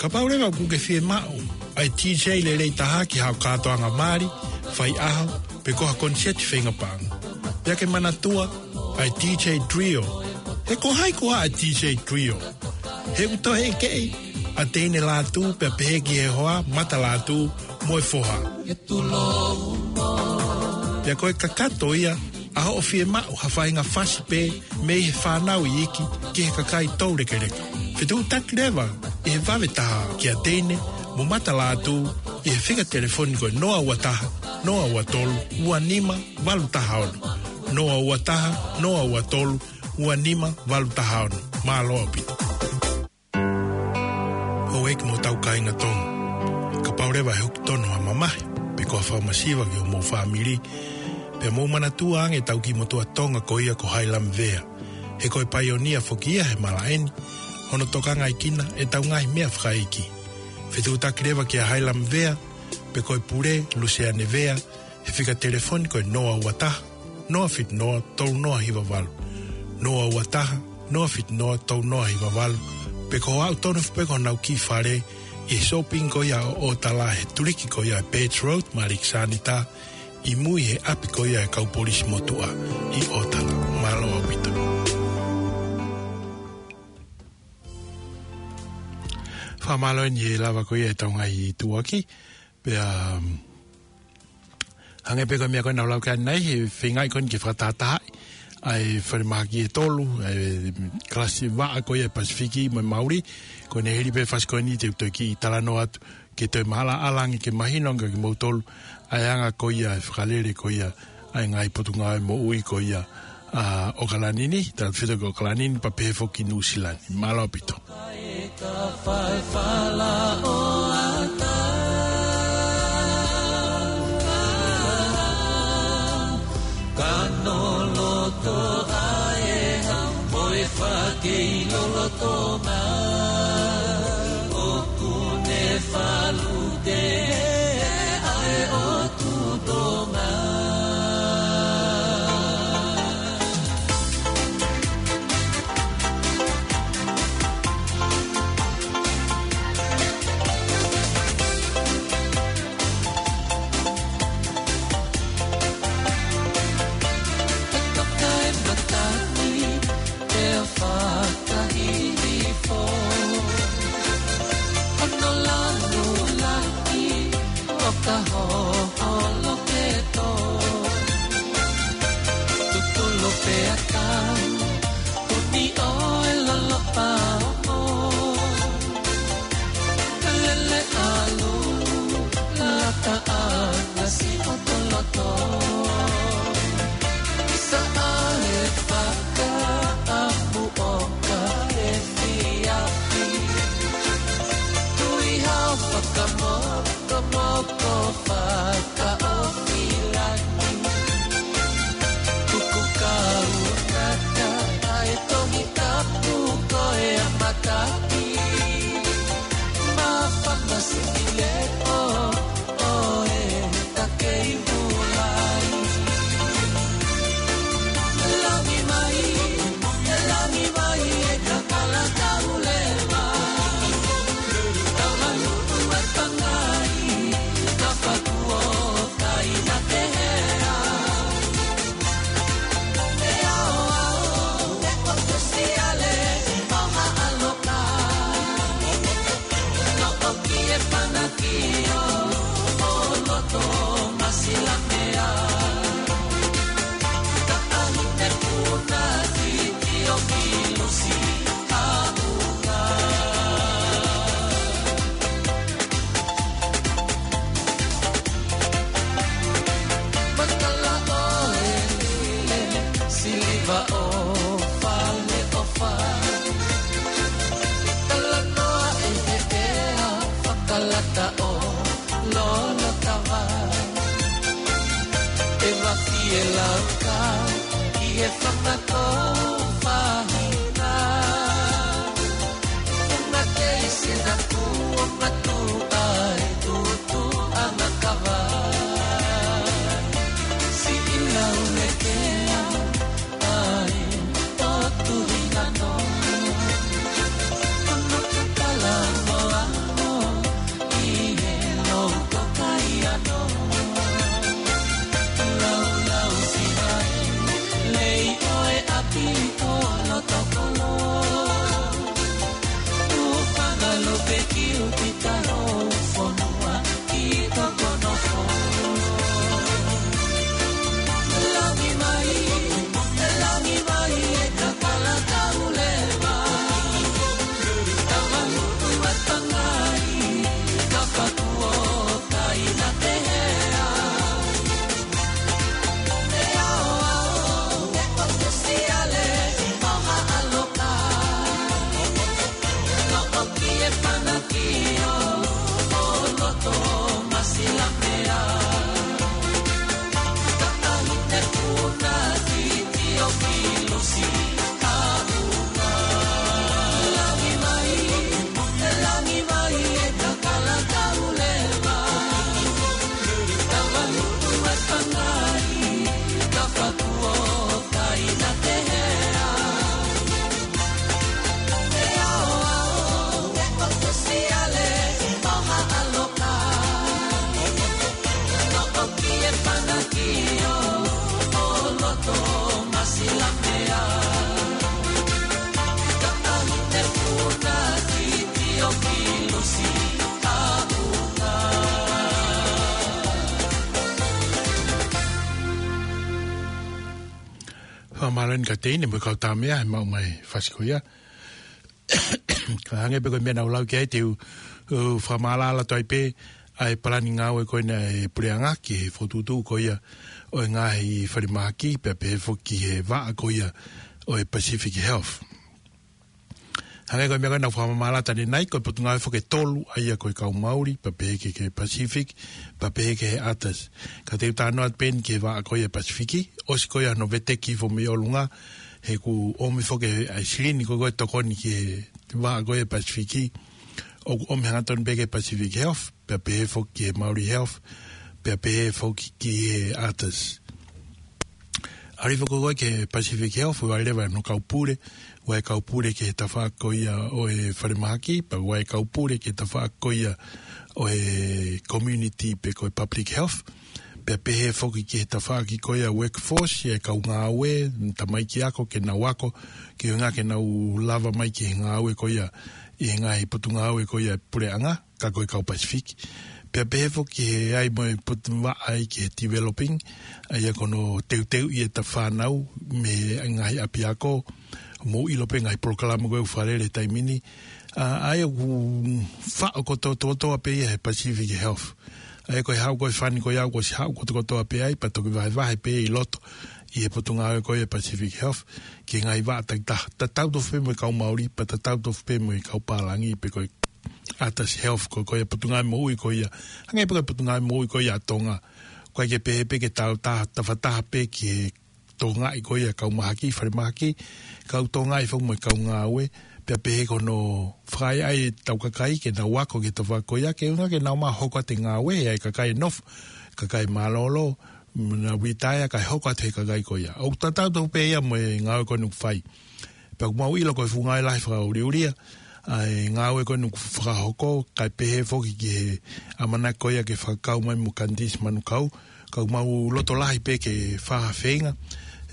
kapau leva ʻoku ke fiemaʻu ʻa e DJ lelei taha ki haʻo kātoanga mali, faiʻaho, pe ko ha koniseti feinga paʻanga, pea ke manatua ʻa e DJ Trio. He ko hai koā ʻa e DJ Trio? He ʻoku toe ʻekeʻi ʻa Teine Lātū, pea pehē ki he hoa, Mata Lātū, mo e foha. Pea ko e kakato ia ʻa hoʻo fiemaʻu ha faʻahinga fasi pē mei he fānau iiki ki he kakai toulekeleka. Fetuʻutaki leva ʻi he vave taha kia Teine mo Mata Lātū ʻi he fika telefoni ko e noa ua taha, noa ua tolu, ua nima valu taha ono. Noa ua taha, noa ua tolu, ua nima valu taha ono. Mālō ʻaupito. Houʻeiki mo hotau kāinga Tonga. Kapau leva ʻe hoko tonu ha mamahi, pe ko ha fakamasiva ki homou fāmili, pea mou manatua ange ʻetau kiʻi motuʻa Tonga ko ia ko Hailami Vea. He ko e paionia foki ia he malaʻe ni, hono tokangaʻi kinautolu ʻe heʻetau ngaahi meʻa fakaʻeiki. Fetuʻutaki leva kia Hailami Vea, pe ko e pule, Luseane Vea, he fika telefoni ko e noa ua taha, noa fitu noa, tolu noa hiva valu. Noa ua taha, noa fitu noa, tolu noa hiva valu. Pe ko hoʻo aʻu tonu foki ki honau kiʻi fale ʻi he sōpingi ko ia ʻo ʻOtala he tuliki ko ia ʻa e Birch Road, Maliki Sanita, ʻi mui he ʻapi ko ia ʻa e kau polisi motuʻa ʻi ʻOtala. Mālō ʻaupito. Fakamālō eni he lava ko ia ʻetau ngaahi tuʻuaki. Pea, um, hangē pē ko e meʻa ko ē naʻa ku lau ki ai ʻanenai, he feingaʻi ko eni ke fakatahatahaʻi ʻa e falemahaki ʻe tolu, ʻa e kalasi vaʻa ko ia ʻa e Pasifiki mo e Mauli, ko ʻene hili pē fasi ko eni te u toe kiʻi talanoa atu, ke toe maʻalaʻala ange ke mahino ange kia kimoutolu ʻa e anga ko ia e fakalele ko ia ʻa e ngaahi potungāue moʻui ko ia ʻa ʻAokalani ni, tautefito ki ʻAokalani ni, pea pehē foki ki Nuʻusila ni. Mālō ʻaupito. Ka noloto ʻa e hau mo e fakei lolotonga, ʻoku ne falute ʻa e ʻOtu Tonga. Tutulu pea tau, uni ʻo e lolopa ongo. Lele ʻalu, lata ʻana si ʻoto loto. Saʻa e fakaʻamu ʻo ka e fiafi. Tui hao fakamoko, moko fakaʻofi lani. Kuku kau nata ʻa e Tohi Tapu ko e a mataki. Māfana siʻi leʻo ʻo e takei mulai. Langi mai, e langi mai, e kakala kau leva. Tau halu ua tangai, na fakuo tai na tehea. Makala ʻo e lile, siliva ʻo fale ʻofa. Talanoa ʻe he ʻea, fakalata ʻo lolo tava. E mafi e lauka, ʻi he fanga ko fahina. Unga kei sina kuo matu ai tutu ana kava. Siʻi lau e kea ai o tuhi nano. Kono kakala mo ano i he louto kai ano. Lau lau si ai lei o e api Mālō eni Kateine mo e kau tāmeʻa he maʻu mai fasi ko ia. Ka hangē pē ko e meʻa naʻa ku lau ki ai te u, u fakamālō atu ai pē ʻa e palani ngāue ko ena ʻa e puleʻanga ki he fokotuʻutuʻu ko ia ʻo e ngaahi falemahaki pea pehē foki ki he vaʻa ko ia ʻo e Pacific Health. Hangē ko e meʻa ko ena naʻa ku fakamālō atu ʻanenai, ko e potungāue foki ʻe tolu ʻa ia ko e kau Mauli, pea pehē ki he Pacific, pea pehē ki he ATAS. Ka te u talanoa atu pē eni ki he vaʻa ko ia Pasifiki, ʻosi ko ia hono veteki hifo mei ʻolunga, he kuo ʻomi foki ʻe he silini ko ē ko e tokoni ki he vaʻa ko ia Pasifiki, ʻoku ʻomi hangatonu pē ki he Pacific Health, pea pehē foki ki he Mauli Health, pea pehē foki ki he ATAS. ʻAlu hifo ko ē ki he Pacific Health, ʻoku ʻi ai leva hono kau pule, ʻoku ʻi ai e kau pule ki he tafaʻaki ko ia ʻo e falemahaki, pea ʻoku ʻi ai e kau pule ki he tafaʻaki ko ia ʻo e community pe ko e public health, pea pehē foki ki he tafaʻaki ko ia workforce, ʻa e kau ngāue, tamaiki ako, ke nau ako, ke ʻuhinga ke nau lava mai ki he ngāue ko ia, ʻi he ngaahi potungāue ko ia puleʻanga, ka ko e kau Pasifiki. Pea pehē foki ki he ʻai mo e potu vaʻa ai ki he developing, ʻa ia ko hono teuteuʻi ʻeta fānau mei he ngaahi ʻapiako, mou ʻilo pē ngaahi polokalama ko ē ʻoku fakalele he taimi ni. ʻA, ʻa ia ʻoku faʻo kotokotoa pē ia he Pacific Health. ʻA ia ko e haʻu ko ē fani ko ia ʻoku ʻosi haʻu kotokotoa pē ai, pea toki vahevahe pē ʻi loto ʻi he potungāue ko ia Pacific Health, ki he ngaahi vaʻa takitaha. Tatau tofu pē mo e kau Mauli, pea tatau tofu pē mo e kau pālangi, pe ko e ATAS Health ko, ko ia potungāue moʻui ko ia. Hangē pē ko e potungāue moʻui ko ia ʻa Tonga. ʻOku ʻikai ke pehē pē ke tau ta-, tafataha pē ki he tokangaʻi ko ia kau mahaki, falemahaki, kau tokangaʻi foki mo e kau ngāue, pea pehē ko hono fakaʻaiʻai ʻetau kakai ke nau ako ki he tafaʻaki ko ia, ke ʻuhinga ke nau maʻu hoko atu e ngāue, ʻa e kakai nofo, kakai mālōlō, nau vitaia kae hoko atu he kakai ko ia. ʻOku tatau tofu pē ia mo e ngāue ko eni ʻoku fai. Pea ʻoku mau ʻilo ko e fuʻu ngāue lahi fakaʻuliʻulia ʻa e ngāue ko eni ʻoku fakahoko, kae pehē foki ki he ʻamanaki ko ia ke fakakau mai mo Kanitisi Manukau, ka ʻoku mau loto lahi pē ke fakafeinga.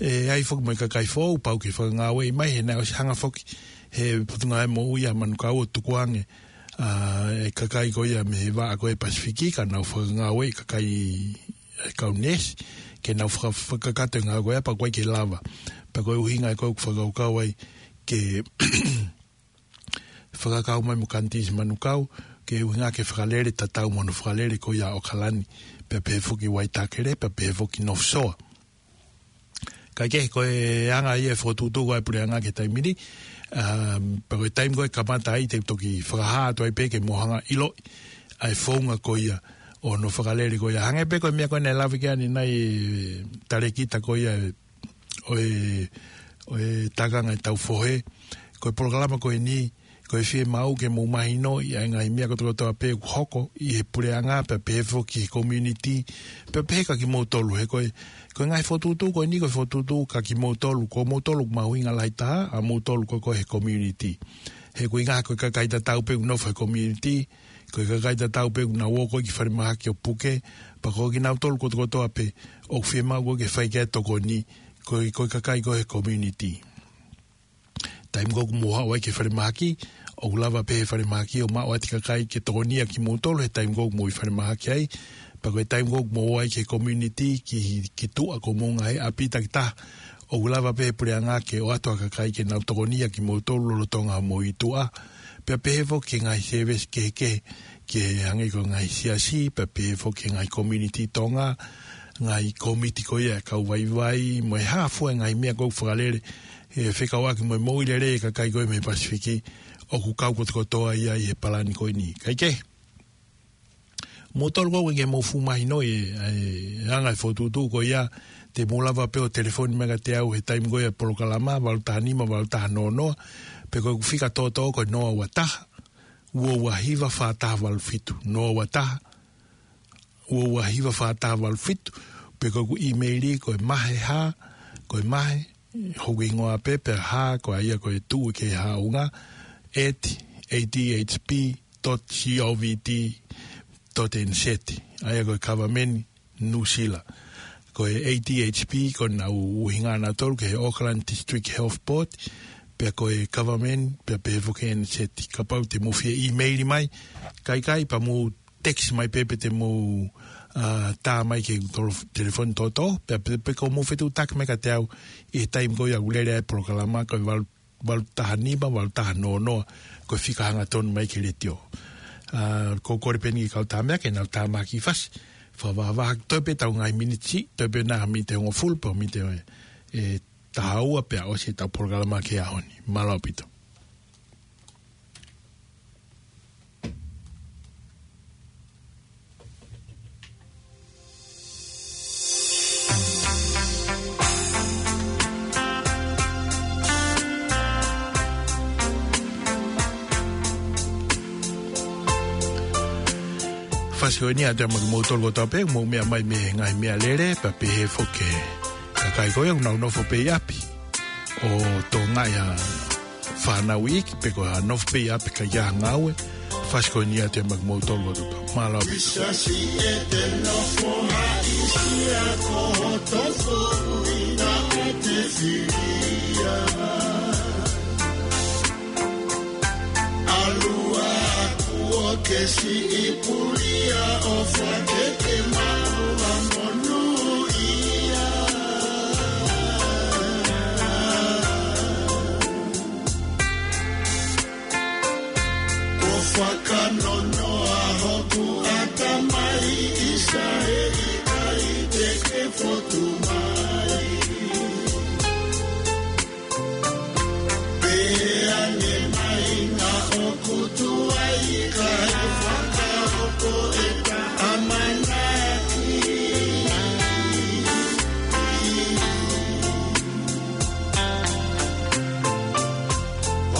ʻE ʻi ai foki mo e kakai foʻou, pau ke fakangāueʻi mai, he naʻe ʻosi hanga foki he Potungāue Moʻui ʻa Manukau ʻo tukuange ʻa e kakai ko ia mei he vaʻa ko ē Pasifiki, ka nau fakangāueʻi kakai ʻa e kau neesi, ke nau faka-, fakakakato e ngāue ko ia pea ʻoku ʻikai ke lava. Pea ko e ʻuhinga ia ko ē ʻoku fakakaukau ai ke fakakau mai mo Kanitisi Manukau, ke ʻuhinga ke fakalele tatau mo hono fakalele ko ia ʻa ʻAokalani, pea pehē foki Waitakere, pea pehē foki North Shore. Kae kehe ko e anga ia e fokotuʻutuʻu ko ē ʻa e puleʻanga ki he taimi ni, um, pea ko e taimi ko ē kamata ai te u toki fakahā atu ai pē ke mou hanga ʻo ʻiloʻi ʻa e founga ko ia ʻo hono fakalele ko ia. Hangē pē ko e meʻa ko ē naʻe lave ki ai ʻanenai e talēkita ko ia ʻo e, ʻo e Tākanga ʻo e Taufohe. Ko e polokalama ko eni, ko e fiemaʻu ke mou mahinoʻi ʻa e ngaahi meʻa kotokotoa pē ʻoku hoko ʻi he puleʻanga pea pehē foki ki he community, pea pehē kia kimoutolu he ko e, ko e ngaahi fokotuʻutuʻu ko eni ko e fokotuʻutuʻu kia kimoutolu, ko moutolu ʻoku mahuʻinga lahi taha, ʻa moutolu ko ē ko ē he community. He ko e ʻuhinga ko e kakai tatau pē ʻoku nofo he community, ko e kakai tatau pē ʻoku nau ō ko ē ki falemahaki ʻo puke, pea ko kinautolu kotokotoa pē ʻoku fiemaʻu ko ē ke fai ki ai e tokoni, ko e, ko e kakai ko ē he community. Taimi ko ē ʻoku mou haʻu ai ki falemahaki, ʻoku lava pē he falemahaki ʻo maʻu atu e kakai ke tokonia kimoutolu he taimi ko ē ʻoku mou ʻi falemahaki ai, pea ko e taimi ko ē ʻoku mou ō ai ki he community, ki, ki tuʻa ko homou ngaahi ʻapi takitaha, ʻoku lava pē he puleʻanga ke ʻoatu ha kakai ke nau tokonia kimoutolu lolotonga homou ʻi tuʻa. Pea pehē foki ki he ngaahi service kehekehe, ki he hangē ko e ngaahi siasi, pea pehē foki ki he ngaahi community Tonga, ngaahi kōmiti ko ia ʻa e kau vaivai, mo e hā fua e ngaahi meʻa ko ē ʻoku fakalele, ʻe fekauʻaki mo e moʻui lelei e kakai ko ē mei he Pasifiki, ʻoku kau kotokotoa ia ʻi he palani ko eni. Kae kehe, moutolu ko ē ʻoku ʻikai ke mou fuʻu mahinoʻi e, e anga e fokotuʻutuʻu ko ia, te mou lava pē ʻo telefoni mai kiate au he taimi ko ia e polokalama, valu taha nima, valu taha noa noa, pe ko ʻeku fika toʻotoʻo ko e noa ua taha, ua ua hiva fā taha valu fitu, noa ua taha, ua ua hiva fā taha valu fitu, pe ko ʻeku ʻīmeili ko e mahe hā, ko e mahe, hoku hingoa pē, pea hā, ko ia ko e tuʻu ki he haʻunga, at A D H P dot govt dot N Z. ʻA ia ko e Kavameni Nuʻusila. Ko e A D H P, ko ʻenau ʻuhinga nautolu ki he Auckland District Health Board, pea ko e Kavameni, pea pehē foki N Z. Kapau te mou fie ʻīmeili mai, kae ʻikai pea mou text mai pē pe te mou, ā, tā mai ki he tolo-, telefoni toto, pea pe, pe ko mou fetuʻutaki mai kiate au ʻi he taimi ko ia ʻoku lele ai e polokalama, ko e valu, valu taha nima, valu taha noa noa, ko e fika hangatonu mai ki he letiō. Ā, ko e kole pē eni ki he kau tā meʻa ke nau tā mai ha kiʻi fasi. Fakavahavaha, toe pē ʻetau ngaahi miniti, toe pē nai ha miniti ʻe hongofulu pe miniti ʻe, ʻe taha ua pea ʻosi ʻetau polokalama ki he ʻaho ni. Mālō ʻaupito. Fasi ko eni ʻoatu ia maʻa kimoutolu kotoa pē ʻoku mou meʻa mai mei he ngaahi meʻalele, pea pehē foki ki he kakai ko ia ʻoku nau nofo pē ʻi ʻapi ʻo tokangaʻi ʻa e fānau iiki pe ko e nofo pē ʻi ʻapi ʻikai ha ngāue. Fasi ko eni ʻoatu ia maʻa kimoutolu kotoa pē. Mālō. Sasi e te nofo haʻisia ko hoto foʻi na ʻo te filia. ʻAlu ā kuo ke siʻi pulia ʻofa ke ke maʻu ʻa monūʻia. Kuo fakanonoa hoku ʻatamai ʻi he ʻikai te ke fotu mai. Pehē ange mai naʻa ʻoku tuai kae fakahoko ʻeta ʻamanaki.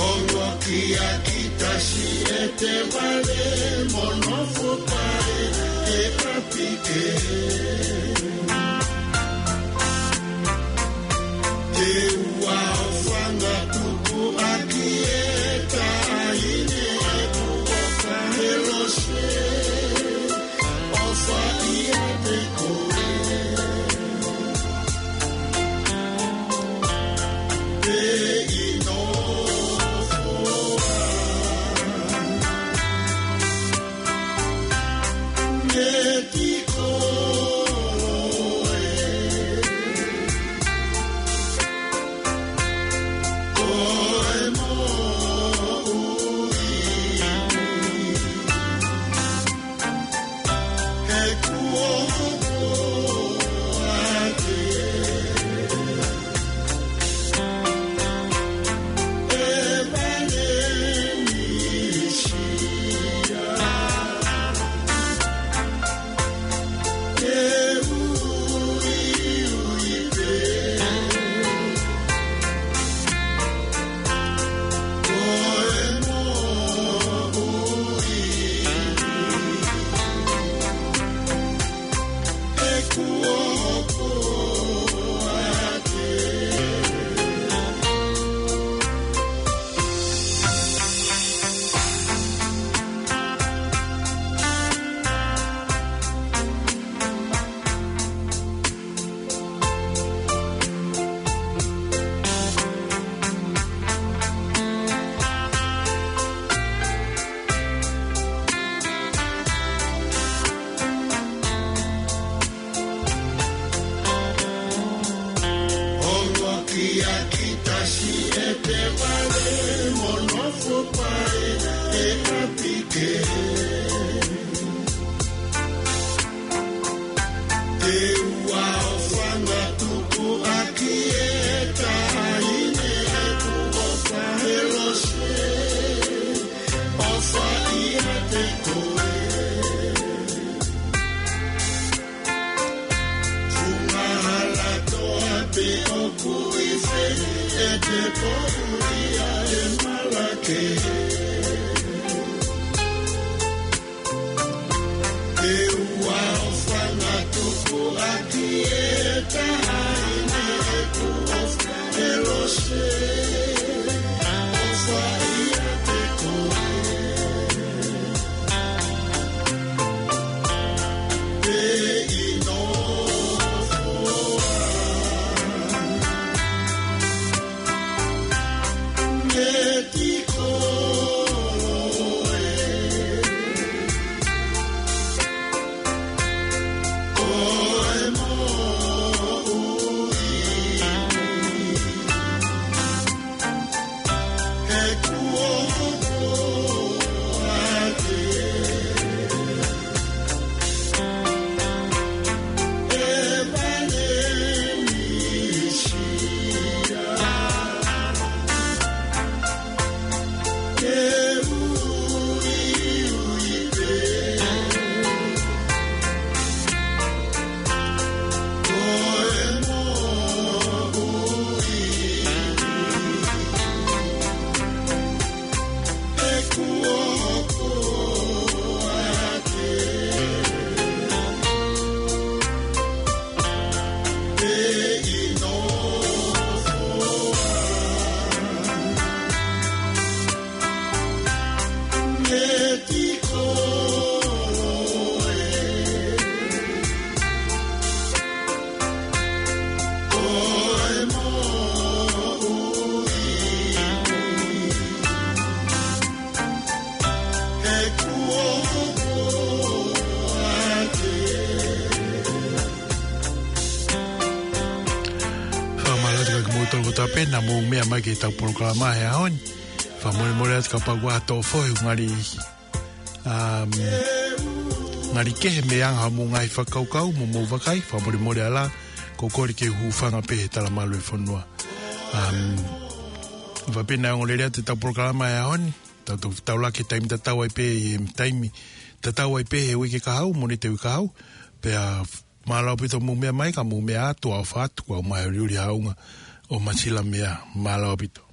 Ongo kia kita siʻi ʻete vale mo nofo pē ʻi ʻapi kehe. Te u ʻofa ʻo tukuakiʻi e taʻahine ʻeku ʻofa he lose. ʻOfa ʻiate koe. Te u nofo ā. Ongo kia kita siʻi ʻete vale mo nofo pē ʻi ʻapi kehe. Te u ʻofa ʻo tukuakiʻi e taʻahine ʻeku ʻofa he lose. ʻOfa ʻiate koe. Funga hala toa pē ʻoku ʻi fē ʻete poʻuli ʻa e malake. Te u ʻofa ʻo tukuakiʻi e taʻahine ʻeku ʻofa he lose. ʻOfa ʻiate koe. Te u nofo ā. Meti koe. Naʻa mou meʻa mai ki heʻetau polokalama he ʻaho ni. Fakamolemole atu kapau kuo toʻo foʻi ngali, um, ngali kehe mei he anga hoʻomou ngaahi fakakaukau mo hoʻomou vakai. Fakamolemole ā, ko e kole ke u hūfanga pē he talamalu ʻo e fonua. Um, faʻa pē naʻe ongo lelei atu ʻetau polokalama he ʻaho ni. Tau, tau, tau laka he taimi tatau ai pē, he taimi tatau ai pē he uike kahaʻu, Mōnite uike kahaʻu. Pea mālō ʻaupito hoʻomou meʻa mai, ka mou meʻa ā, tuʻa ʻofa atu, kuo mau ʻuliʻuli ʻaonga ʻo Masila meʻa. Mālō ʻaupito.